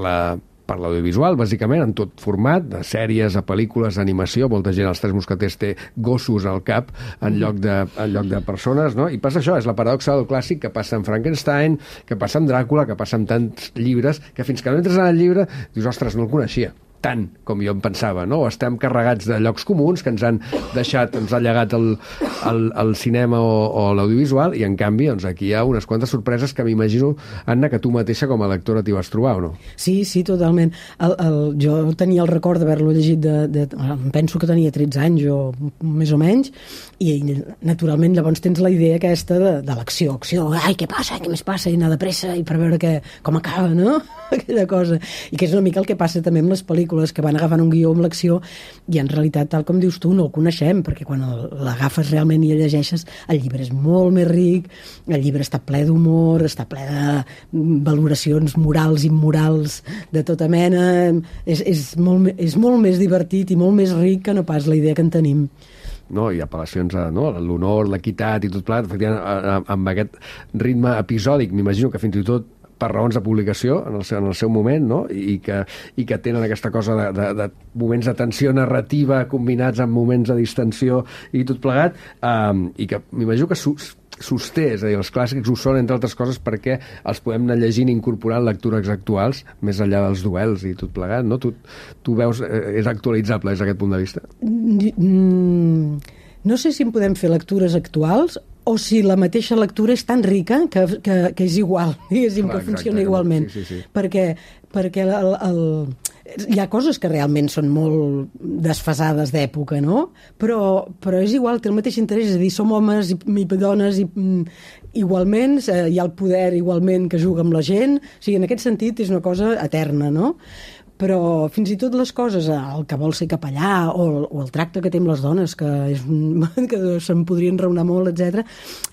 l'audiovisual, bàsicament, en tot format, de sèries a pel·lícules, d'animació. Molta gent, els Tres Mosqueters, té gossos al cap en lloc de persones, no? I passa això, és la paradoxa del clàssic que passa amb Frankenstein, que passa amb Dràcula, que passa amb tants llibres, que fins que no entres en el llibre dius, ostres, no el coneixia tant com jo em pensava, no? O estem carregats de llocs comuns que ens ha llegat el cinema o l'audiovisual, i en canvi aquí hi ha unes quantes sorpreses que m'imagino, Anna, que tu mateixa com a lectora t'hi vas trobar, o no? Sí, totalment. Jo tenia el record d'haver-lo llegit penso que tenia 13 anys o més o menys, i naturalment llavors tens la idea aquesta de l'acció, ai, què passa, què més passa, i anar de pressa i per veure com acaba, no? Aquella cosa. I que és una mica el que passa també amb les pel·lícules, que van agafant un guió amb l'acció, i en realitat, tal com dius tu, no el coneixem, perquè quan l'agafes realment i el llegeixes, el llibre és molt més ric, el llibre està ple d'humor, està ple de valoracions morals i immorals de tota mena, és molt més divertit i molt més ric que no pas la idea que en tenim. No, i apel·lacions a l'honor, l'equitat i tot plegat, efectivament, amb aquest ritme episòdic, m'imagino que fins i tot per raons de publicació en el seu moment, no? I que tenen aquesta cosa de moments de tensió narrativa combinats amb moments de distensió i tot plegat, i que m'imagino que sosté, és a dir, els clàssics ho són, entre altres coses, perquè els podem anar llegint i incorporant lectures actuals, més enllà dels duels i tot plegat, no? Tu veus, és actualitzable des d'aquest punt de vista? No sé si en podem fer lectures actuals o si la mateixa lectura és tan rica que és igual, diguéssim, que funciona igualment. Sí. Perquè hi ha coses que realment són molt desfasades d'època, no? Però és igual, té el mateix interès, és a dir, som homes i dones i igualment, hi ha el poder igualment que juga amb la gent, o sigui, en aquest sentit és una cosa eterna, no? Però fins i tot les coses, el que vol ser capellà o el tracte que té amb les dones, que se'n podrien raonar molt, etc.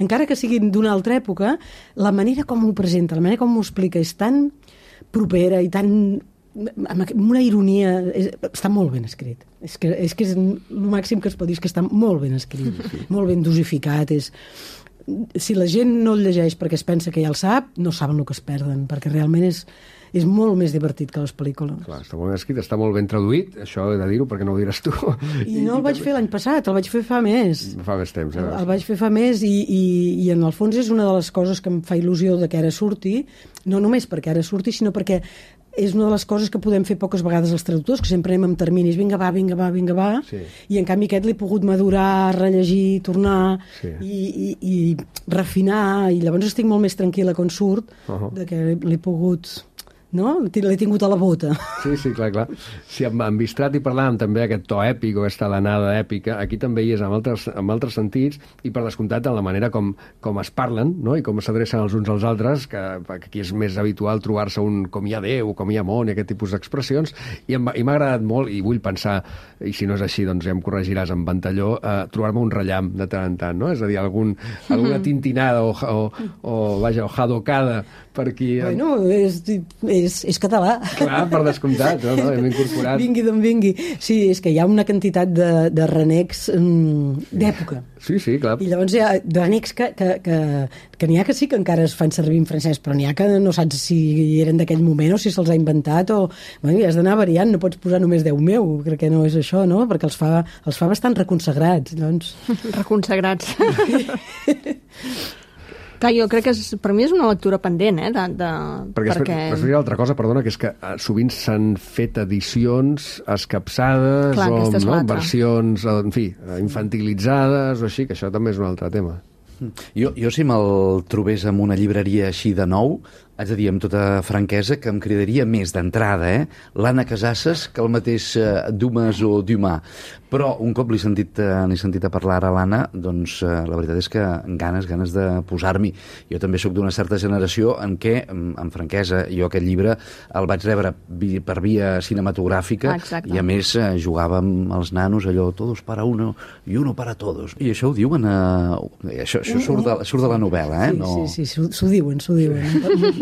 Encara que siguin d'una altra època, la manera com ho presenta, la manera com ho explica és tan propera i tan amb una ironia, està molt ben escrit. És que és el màxim que es pot dir, és que està molt ben escrit, molt ben dosificat. Si la gent no el llegeix perquè es pensa que ja el sap, no saben el que es perden, perquè realment és molt més divertit que les pel·lícules. Clar, està molt ben escrit, està molt ben traduït, això he de dir-ho perquè no ho diràs tu. I no el vaig fer l'any passat, el vaig fer fa més. Fa més temps, ja. El vaig fer fa més i en el fons és una de les coses que em fa il·lusió de que ara surti, no només perquè ara surti, sinó perquè és una de les coses que podem fer poques vegades els traductors, que sempre anem amb terminis, vinga va, sí. I en canvi aquest l'he pogut madurar, rellegir, tornar i refinar, i llavors estic molt més tranquil·la quan surt, de que l'he pogut no? L'he tingut a la bota. Sí, clar. Si amb Bistrati parlàvem també aquest to èpic o aquesta alenada èpica, aquí també hi és amb altres sentits, i per descomptat en la manera com es parlen, no? I com s'adrecen els uns als altres, que aquí és més habitual trobar-se un com hi ha Déu, com hi ha món, i aquest tipus d'expressions, i m'ha agradat molt, i vull pensar, i si no és així, doncs ja em corregiràs amb Ventalló, trobar-me un rellam de tant en tant, no? És a dir, alguna tintinada o jadocada per aquí. Bueno, és català. Clar, per descomptat, no? Hem incorporat... Vingui d'on vingui. Sí, és que hi ha una quantitat de renecs d'època. Sí, clar. I llavors hi ha renecs que n'hi ha que sí que encara es fan servir en francès, però n'hi ha que no saps si eren d'aquell moment o si se'ls ha inventat o... Bueno, has d'anar variant, no pots posar només Déu meu, crec que no és això, no? Perquè els fa bastant reconsagrats, doncs. Reconsagrats. Clar, jo crec que per mi és una lectura pendent, perquè... Després hi ha altra cosa, perdona, que és que sovint s'han fet edicions escapçades, o versions, en fi, infantilitzades, o així, que això també és un altre tema. Jo si me'l trobés en una llibreria així de nou, haig de dir amb tota franquesa que em cridaria més d'entrada, l'Anna Casasses, que el mateix Dumas o Dumas. Però un cop l'he sentit a parlar a l'Anna, doncs la veritat és que ganes de posar-m'hi. Jo també sóc d'una certa generació en què, amb franquesa, jo aquest llibre el vaig rebre per via cinematogràfica. Exacte. I a més jugava amb els nanos allò, todos para uno y uno para todos. I això ho diuen... Això surt de la novel·la, eh? Sí, s'ho diuen.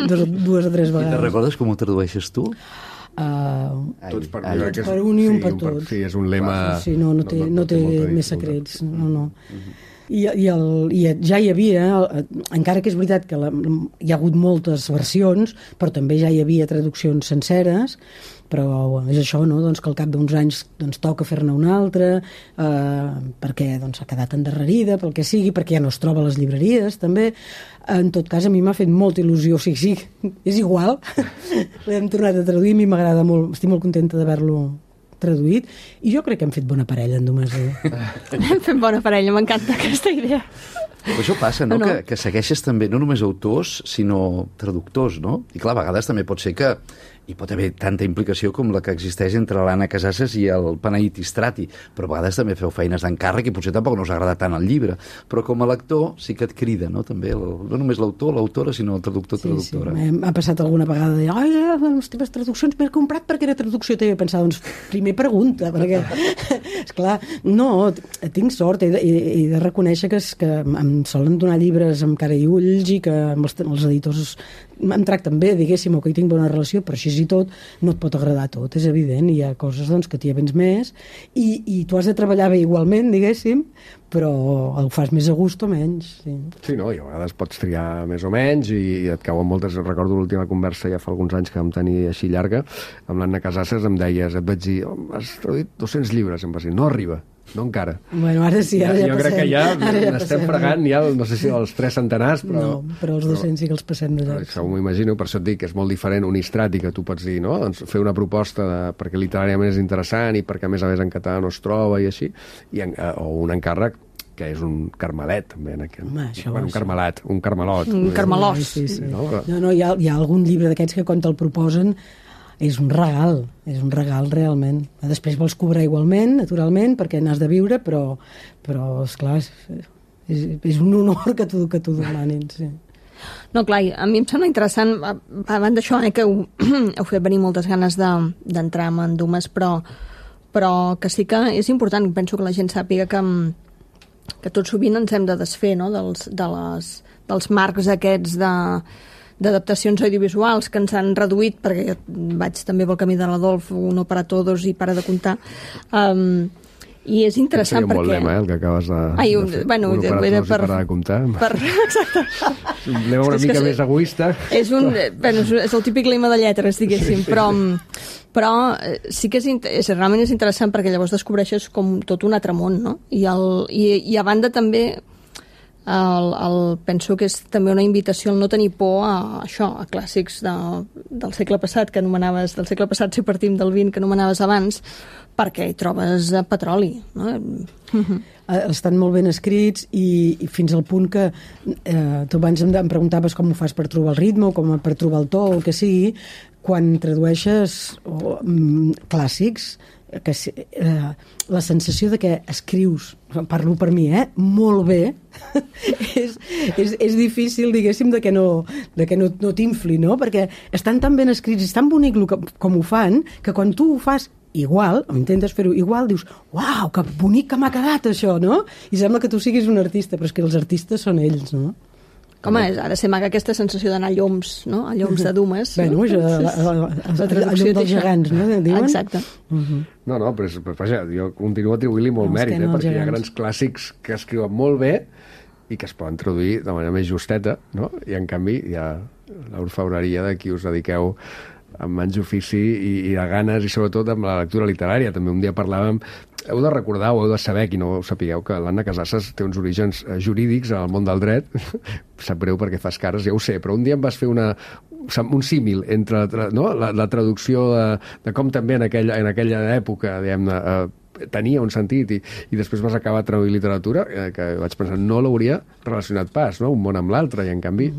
Dues o tres vegades. I te'n recordes com ho tradueixes tu? Tots per un i un per tots. Sí, és un lema... Sí, no té més secrets. No. I ja hi havia, encara que és veritat que hi ha hagut moltes versions, però també ja hi havia traduccions senceres, però és això, no? Doncs que al cap d'uns anys toca fer-ne una altra, perquè ha quedat endarrerida, pel que sigui, perquè ja no es troba a les llibreries, també. En tot cas, a mi m'ha fet molta il·lusió, sí, és igual. L'hem tornat a traduir, a mi m'agrada molt, estic molt contenta d'haver-lo traduït, i jo crec que hem fet bona parella en Dumas. Hem fet bona parella, m'encanta aquesta idea. Però això passa, no? Que segueixes també no només autors, sinó traductors, no? I clar, a vegades també pot ser que hi pot haver tanta implicació com la que existeix entre l'Anna Casasses i el Panaït Istrati, però a vegades també feu feines d'encàrrec i potser tampoc no us agrada tant el llibre, però com a lector sí que et crida, no? També, no només l'autor, l'autora, sinó el traductor-traductora. Sí. M'ha passat alguna vegada de dir, les teves traduccions m'he comprat perquè era traducció teva. Pensava, doncs, primer pregunta, perquè, esclar, no, tinc sort, he de reconèixer que em solen donar llibres amb cara i ulls i que els editors em tracten bé, diguéssim, o que hi tinc bona relació, però així i tot no et pot agradar tot, és evident, hi ha coses que t'hi avens més i tu has de treballar bé igualment, diguéssim, però el fas més a gust o menys. Sí, no, i a vegades pots triar més o menys i et cauen moltes. Recordo l'última conversa ja fa alguns anys que vam tenir així llarga, amb l'Anna Casasses et vaig dir, has traduït 200 llibres, em va dir, no arriba. No encara. Bueno, ara sí, ara ja jo passem. Jo crec que ja n'estem fregant, ja, no sé si els 3 centenars, però... No, però els 200 sí que els passem de llarg. M'ho imagino, per això et dic que és molt diferent un Istrati, que tu pots dir, no? Doncs fer una proposta perquè literàriament és interessant i perquè a més en català no es troba i així, o un encàrrec que és un carmelet, també, en aquest. Un carmelat, un carmelot. Un carmelós. Sí. No, hi ha algun llibre d'aquests que quan te'l proposen és un regal realment. Després vols cobrar igualment, naturalment, perquè n'has de viure, però esclar, és un honor que t'ho demanin, sí. No, clar, a mi em sembla interessant, abans d'això, que heu fet venir moltes ganes d'entrar en Dumas, però que sí que és important, penso que la gent sàpiga que tot sovint ens hem de desfer, no?, dels marcs aquests d'adaptacions audiovisuals que ens han reduït, perquè vaig també pel camí de l'Adolf, uno para todos i para de comptar, i és interessant perquè... molt lema, el que acabes de fer. Bueno, uno para todos i para de comptar. Exacte. Un lema una mica més egoista. És el típic lema de lletres, diguéssim, però sí que realment és interessant perquè llavors descobreixes com tot un altre món, no? I a banda també penso que és també una invitació al no tenir por a això, a clàssics del segle passat, que anomenaves, del segle passat si partim del 20 que anomenaves abans, perquè hi trobes petroli, no? Estan molt ben escrits i fins al punt que tu abans em preguntaves com ho fas per trobar el ritme o com per trobar el to o el que sigui. Quan tradueixes clàssics, la sensació de que escrius, parlo per mi, molt bé, és difícil, diguéssim, de que no t'infli, no? Perquè estan tan ben escrits, és tan bonic com ho fan, que quan tu ho fas igual, o intentes fer-ho igual, dius, uau, que bonic que m'ha quedat això, no? I sembla que tu siguis un artista, però és que els artistes són ells, no? Com és? Ha de ser maca aquesta sensació d'anar a lloms, no? A lloms de Dumas. Bueno, la traducció dels gegants, no? Diuen? Exacte. No, però vaja, jo continuo atribuint-li molt mèrit, perquè hi ha grans clàssics que escriuen molt bé i que es poden traduir de manera més justeta, no? I en canvi hi ha l'orfebreria de qui us dediqueu amb mans d'ofici i de ganes, i sobretot amb la lectura literària. També un dia parlàvem, heu de recordar o heu de saber, qui no ho sapigueu, que l'Anna Casasses té uns orígens jurídics en el món del dret. Sap greu perquè fas cares, ja ho sé, però un dia em vas fer un símil entre la traducció de com també en aquella època, diguem-ne, tenia un sentit i després vas acabar traduint literatura, que vaig pensar, no l'hauria relacionat pas, no? Un món amb l'altre, i en canvi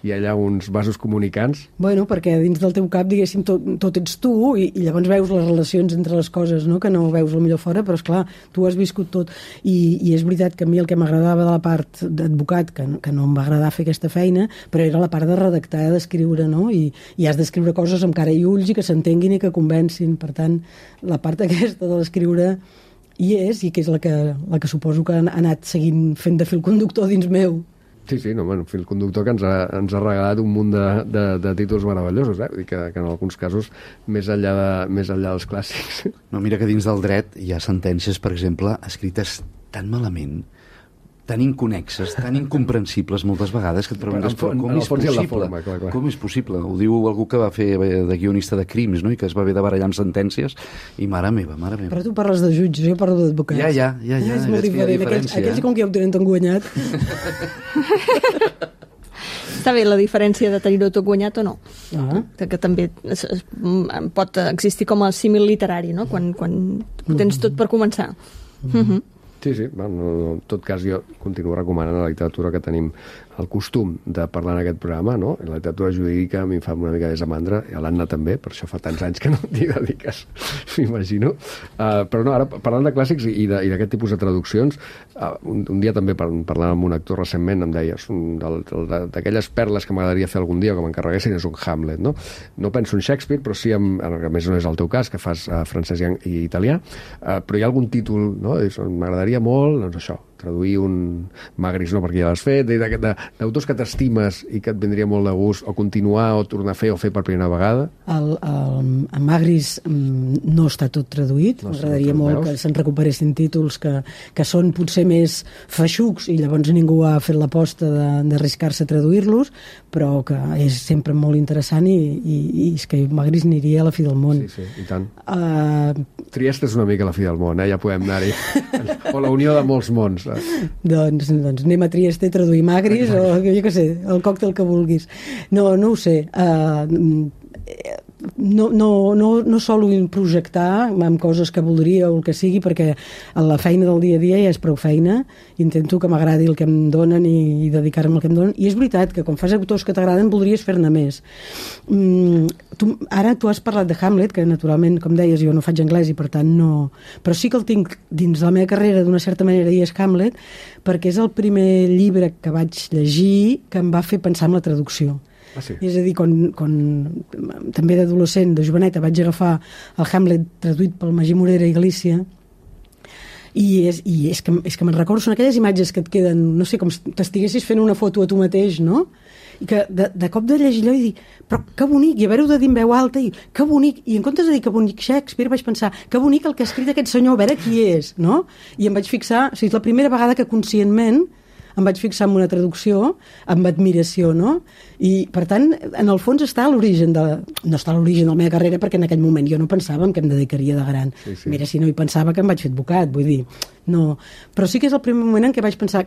hi ha allà uns vasos comunicants. Bueno, perquè dins del teu cap, diguéssim, tot ets tu, i llavors veus les relacions entre les coses, no? Que no veus el millor fora, però esclar, tu has viscut tot. I és veritat que a mi el que m'agradava de la part d'advocat, que no em va agradar fer aquesta feina, però era la part de redactar, d'escriure, no? I has d'escriure coses amb cara i ulls i que s'entenguin i que convencin. Per tant, la part aquesta de l'escriure hi és, i que és la que suposo que ha anat seguint fent de fil conductor dins meu. Sí, no, bueno, fil conductor que ens ha regalat un munt de títols meravellosos, i que en alguns casos més enllà dels clàssics. No, mira que dins del dret hi ha sentències, per exemple, escrites tan malament, tan inconnexes, tan incomprensibles moltes vegades, que et preguntes com és possible? Com és possible? Ho diu algú que va fer de guionista de crims, no? I que es va haver de barallar amb sentències, i mare meva. Però tu parles de jutges, jo parlo d'advocats. Ja. És molt diferent. Aquells com que ja ho tenen tan guanyat. Està bé la diferència de tenir-ho tot guanyat o no. Que també pot existir com a símil literari, no? Quan tens tot per començar. Sí, bueno, en tot cas jo continuo recomanant la literatura que tenim el costum de parlar en aquest programa, no? La literatura jurídica a mi em fa una mica de desamandra, i a l'Anna també, per això fa tants anys que no t'hi dediques, m'imagino. Però no, ara parlant de clàssics i d'aquest tipus de traduccions, un dia també parlant amb un actor recentment em deies, d'aquelles perles que m'agradaria fer algun dia, que m'encarreguessin, és un Hamlet, no? No penso en Shakespeare, però sí, a més no és el teu cas, que fas francès i italià, però hi ha algun títol, no? M'agradaria molt, doncs això, traduir un Magris, no, perquè ja l'has fet, d'autors que t'estimes i que et vindria molt de gust, o continuar, o tornar a fer, o fer per primera vegada? El Magris no està tot traduït, m'agradaria molt que se'n recuperessin títols que són potser més feixucs, i llavors ningú ha fet l'aposta d'arriscar-se a traduir-los, però que és sempre molt interessant, i és que Magris aniria a la fi del món. Sí, i tant. Trieste és una mica la fi del món, ja podem anar-hi. O la unió de molts mons. Doncs anem a Trieste a traduir Magris, o jo què sé, el còctel que vulguis. No ho sé. No solo projectar amb coses que voldria o el que sigui, perquè la feina del dia a dia ja és prou feina, intento que m'agradi el que em donen i dedicar-me al que em donen, i és veritat que quan fas autors que t'agraden voldries fer-ne més. Ara tu has parlat de Hamlet, que naturalment, com deies, jo no faig anglès i per tant no, però sí que el tinc dins la meva carrera d'una certa manera, i és Hamlet, perquè és el primer llibre que vaig llegir que em va fer pensar en la traducció. Sí. És a dir, quan també d'adolescent, de joveneta, vaig agafar el Hamlet traduït pel Magí Morera i Galícia, i és que me'n recordo, són aquelles imatges que et queden, no sé, com si t'estiguessis fent una foto a tu mateix, no? I que de cop de llegir allò i dir, però que bonic, i haver-ho de dir en veu alta, i que bonic, i en comptes de dir que bonic Shakespeare vaig pensar, que bonic el que ha escrit aquest senyor, a veure qui és, no? I em vaig fixar, o sigui, és la primera vegada que conscientment em vaig fixar en una traducció amb admiració, no? I, per tant, en el fons està a l'origen no està a l'origen de la meva carrera, perquè en aquell moment jo no pensava en què em dedicaria de gran. Sí. Mira, si no hi pensava que em vaig fer advocat, vull dir, no. Però sí que és el primer moment en què vaig pensar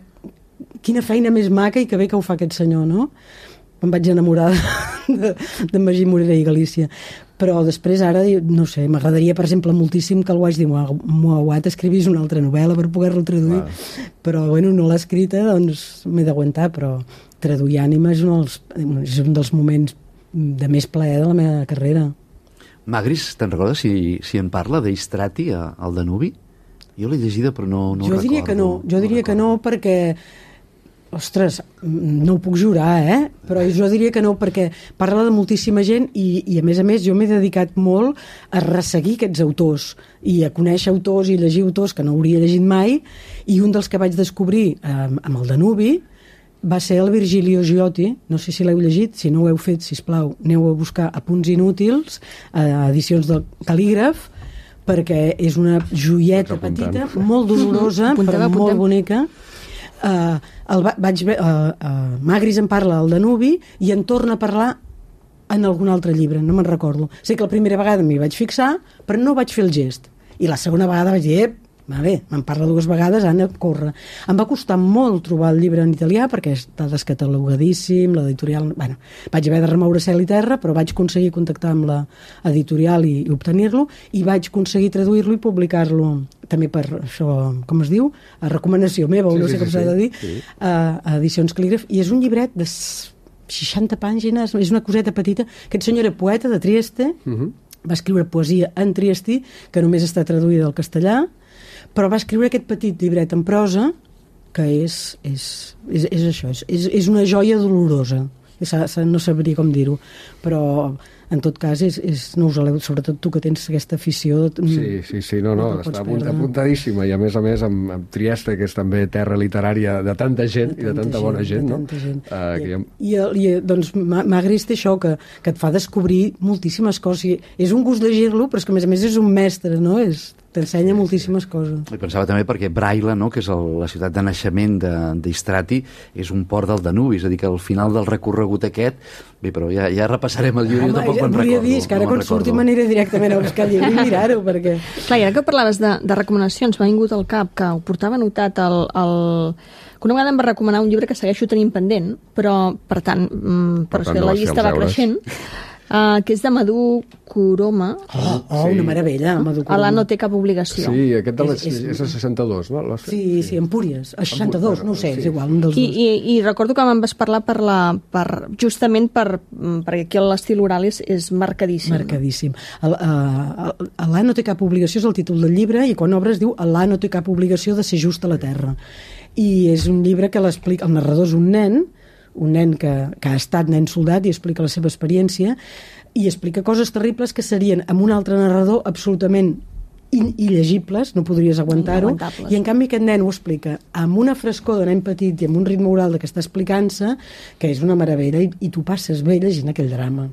quina feina més maca i que bé que ho fa aquest senyor, no? Em vaig enamorar de Magí Morera i Galícia. Però després ara, no sé, m'agradaria, per exemple, moltíssim que algú hagi dit Muawat escrivís una altra novel·la per poder-lo traduir, però bueno, no l'ha escrita, doncs m'he d'aguantar, però traduir ànima és un dels moments de més plaer de la meva carrera. Magris, te'n recordes si en parla d'Istrati al Danubi? Jo l'he llegida però no jo diria recordo. Jo diria que no perquè ostres, no ho puc jurar, però jo diria que no, perquè parla de moltíssima gent i a més jo m'he dedicat molt a resseguir aquests autors i a conèixer autors i llegir autors que no hauria llegit mai, i un dels que vaig descobrir amb el Danubi va ser el Virgilio Giotti, no sé si l'heu llegit, si no ho heu fet, sisplau, aneu a buscar Apunts inútils, edicions del Cal·lígraf, perquè és una joieta petita, molt dolorosa, però molt bonica. Magris en parla al Danubi i en torna a parlar en algun altre llibre, no me'n recordo. Sé que la primera vegada m'hi vaig fixar, però no vaig fer el gest. I la segona vegada vaig dir, me'n parla 2 vegades, Anna, corre. Em va costar molt trobar el llibre en italià perquè està descatalogadíssim, l'editorial... Bueno, vaig haver de remoure cel i terra, però vaig aconseguir contactar amb l'editorial i obtenir-lo, i vaig aconseguir traduir-lo i publicar-lo també per això, com es diu? A recomanació meva, no sé com s'ha de dir, a Edicions Cal·lígraf, i és un llibret de 60 pàgines, és una coseta petita. Aquest senyor era poeta de Trieste, va escriure poesia en triestí, que només està traduïda al castellà, però va escriure aquest petit llibret en prosa que és això, és una joia dolorosa. No sabria com dir-ho, però en tot cas no us aleu, sobretot tu que tens aquesta afició. Sí, està apuntadíssima, i a més amb Trieste, que és també terra literària de tanta gent i de tanta bona gent, no? I doncs Magris té això, que et fa descobrir moltíssimes coses. És un gust llegir-lo, però és que a més és un mestre, no? T'ensenya moltíssimes coses. I pensava també perquè Braila, no, que és la ciutat de naixement d'Istrati, és un port del Danubi, és a dir, que al final del recorregut aquest, bé, però ja repassarem el llibre, jo tampoc me'n recordo. Volia dir, que ara quan surti m'aniré directament a buscar el llibre i mirar-ho, perquè... Clar, i ara que parlaves de recomanacions, m'ha vingut al cap que ho portava anotat que una vegada em va recomanar un llibre que segueixo tenint pendent, però, per tant, la llista va creixent, que és de Madhu Kuroma. Una meravella, Madhu Kuroma. A la no té cap obligació. Sí, aquest és el 62, no? Sí, Empúries. El 62, no ho sé, és igual, un dels dos. I recordo que me'n vas parlar justament perquè aquí l'estil oral és marcadíssim. Marcadíssim. Alà no té cap obligació és el títol del llibre, i quan obres diu Alà no té cap obligació de ser just a la terra. I és un llibre que l'explica, el narrador és un nen que ha estat nen soldat i explica la seva experiència i explica coses terribles que serien amb un altre narrador absolutament il·legibles, no podries aguantar-ho, i en canvi aquest nen ho explica amb una frescor de nen petit i amb un ritme oral que està explicant-se, que és una meravella, i tu passes bé llegint aquell drama.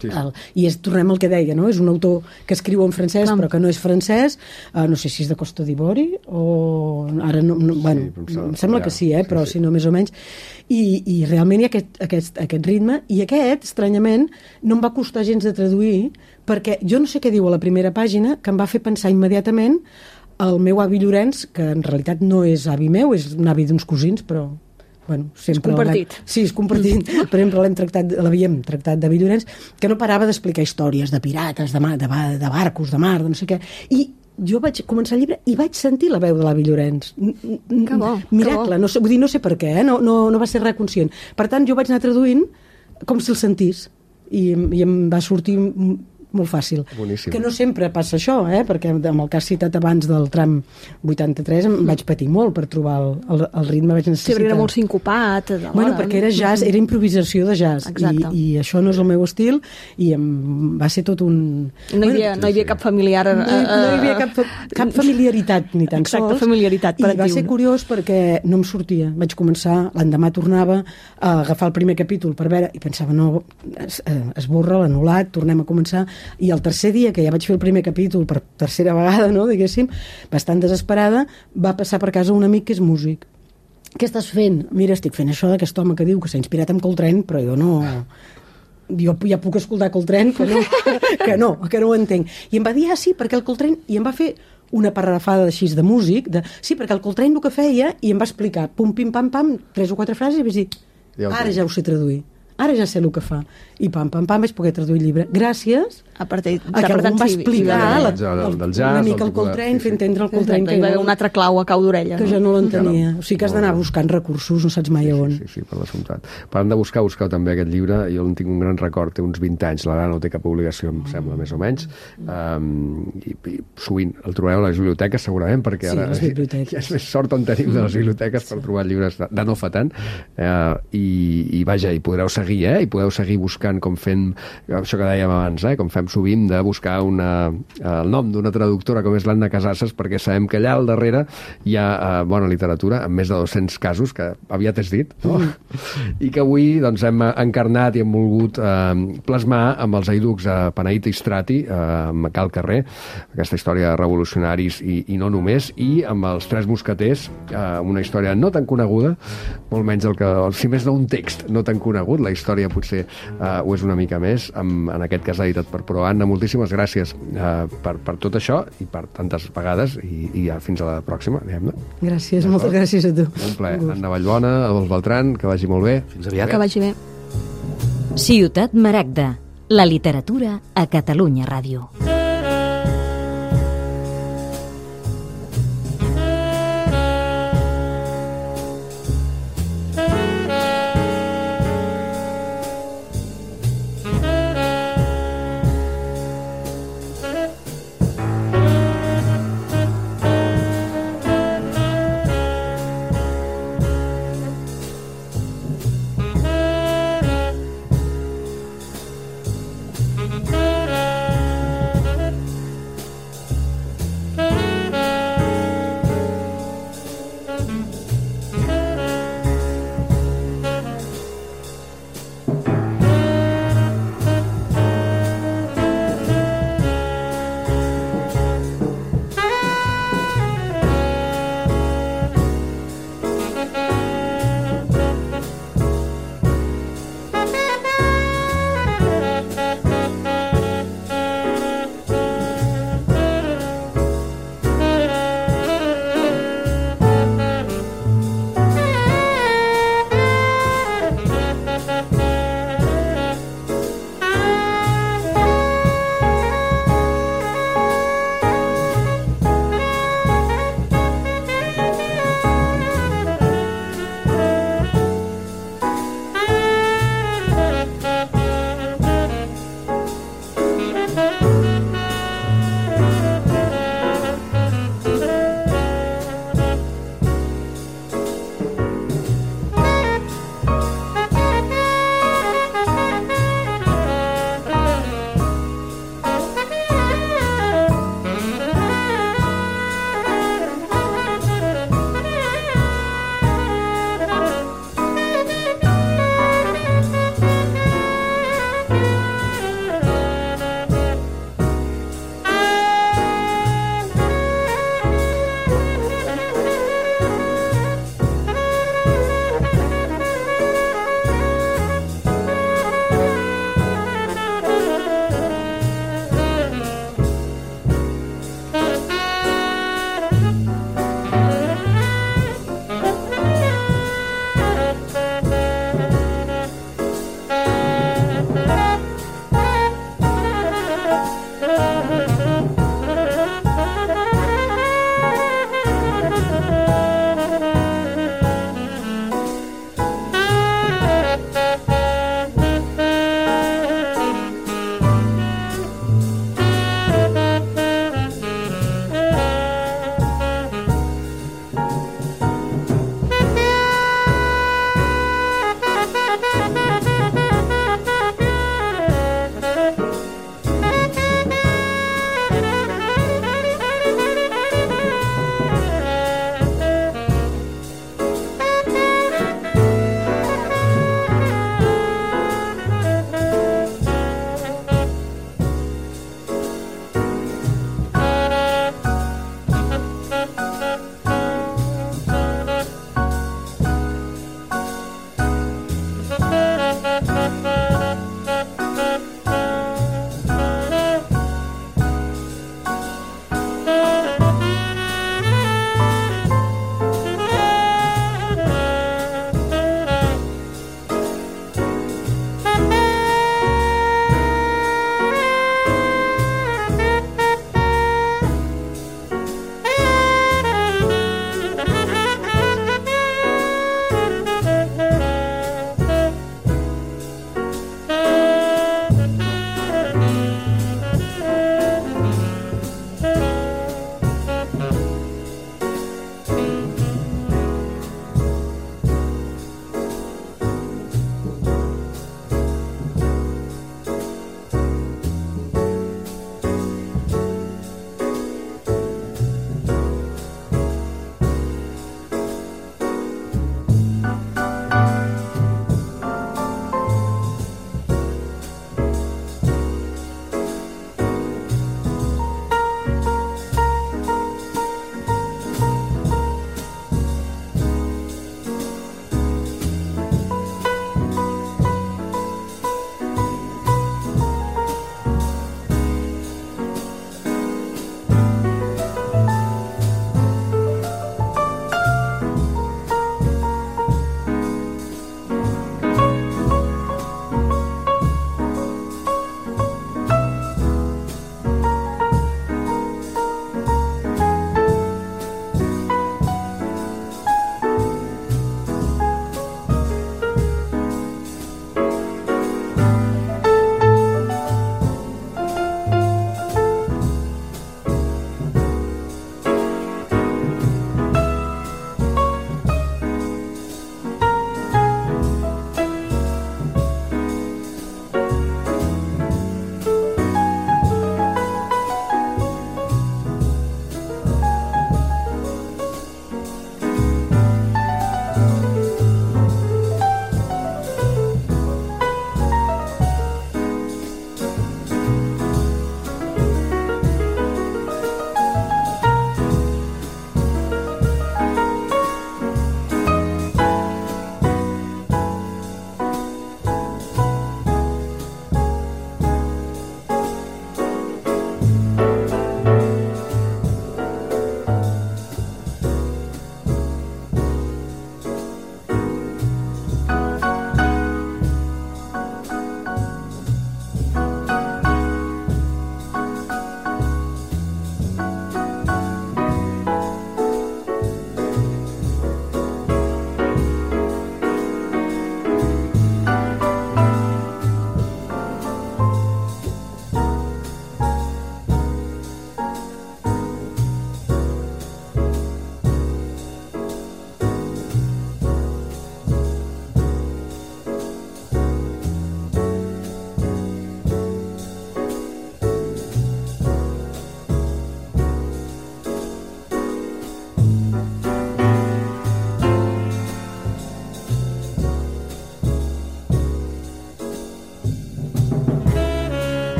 Sí. I tornem al que deia, no? És un autor que escriu en francès però que no és francès, no sé si és de Costa d'Ivori o ara em sembla que sí, però si no més o menys, i realment hi ha aquest ritme, i aquest, estranyament, no em va costar gens de traduir, perquè jo no sé què diu a la primera pàgina que em va fer pensar immediatament el meu avi Llorenç, que en realitat no és avi meu, és un avi d'uns cosins, però és compartit. Sí, és compartit. Per exemple, l'havíem tractat d'avi Llorenç, que no parava d'explicar històries de pirates, de barcos, de mar, de no sé què. I jo vaig començar el llibre i vaig sentir la veu de l'avi Llorenç. Que bo. Miracle, no sé per què, no va ser res conscient. Per tant, jo vaig anar traduint com si el sentís, i em va sortir molt fàcil. Boníssim. Que no sempre passa això, perquè amb el que has citat abans del tram 83 em vaig patir molt per trobar el ritme. Vaig necessitar... Sí, era molt sincopat. Perquè era jazz, era improvisació de jazz. I això no és el meu estil, i va ser tot un... No hi havia cap familiar... No hi havia cap familiaritat, ni tan sols. Exacte, familiaritat. I va ser curiós perquè no em sortia. Vaig començar, l'endemà tornava a agafar el primer capítol per veure, i pensava, no, esborra, l'anul·lat, tornem a començar. I el tercer dia, que ja vaig fer el primer capítol per tercera vegada, no, diguéssim, bastant desesperada, va passar per casa un amic que és músic. Què estàs fent? Mira, estic fent això d'aquest home que diu que s'ha inspirat en Coltrane, però jo no... Jo ja puc escoltar Coltrane, que no ho entenc. I em va dir, sí, perquè el Coltrane... I em va fer una parrafada així de músic, sí, perquè el Coltrane el que feia, i em va explicar, pum, pim, pam, pam, 3 o 4 frases, i vaig dir, ara ja ho sé traduir, ara ja sé el que fa. I pam, pam, pam, vaig poder traduir el llibre. Gràcies a que algú em va explicar una mica el Coltrane, fer entendre el Coltrane. Hi va haver un altre clau a cau d'orella. Que jo no l'entenia. O sigui que has d'anar buscant recursos, no saps mai on. Sí, per l'assumptat. Parlant de buscar, buscau també aquest llibre. Jo en tinc un gran record, té uns 20 anys, l'ara no té cap obligació, em sembla, més o menys. I sovint el trobareu a les biblioteques, segurament, perquè ara és més sort on tenim de les biblioteques per trobar llibres de no fa tant. I vaja, i podreu seguir, i podeu seguir buscant, com fent això que dèiem abans, com fem sovint, de buscar el nom d'una traductora com és l'Anna Casasses, perquè sabem que allà al darrere hi ha bona literatura, amb més de 200 casos, que aviat és dit, no? I que avui doncs, hem encarnat i hem volgut plasmar amb els eiducs a Paneït Istrati, amb Cal Carrer, aquesta història de revolucionaris i no només, i amb els Tres Mosqueters, una història no tan coneguda, molt menys si més no un text no tan conegut, la història potser ho és una mica més, en aquest cas editat per Pro. Anna, moltíssimes gràcies per tot això i per tantes vegades i fins a la pròxima, diguem-ne. Gràcies, moltes gràcies a tu. Un plaer. Anna Vallbona, Adolf Beltran, que vagi molt bé. Fins aviat. Que vagi bé. Ciutat Maragda, la literatura a Catalunya Ràdio.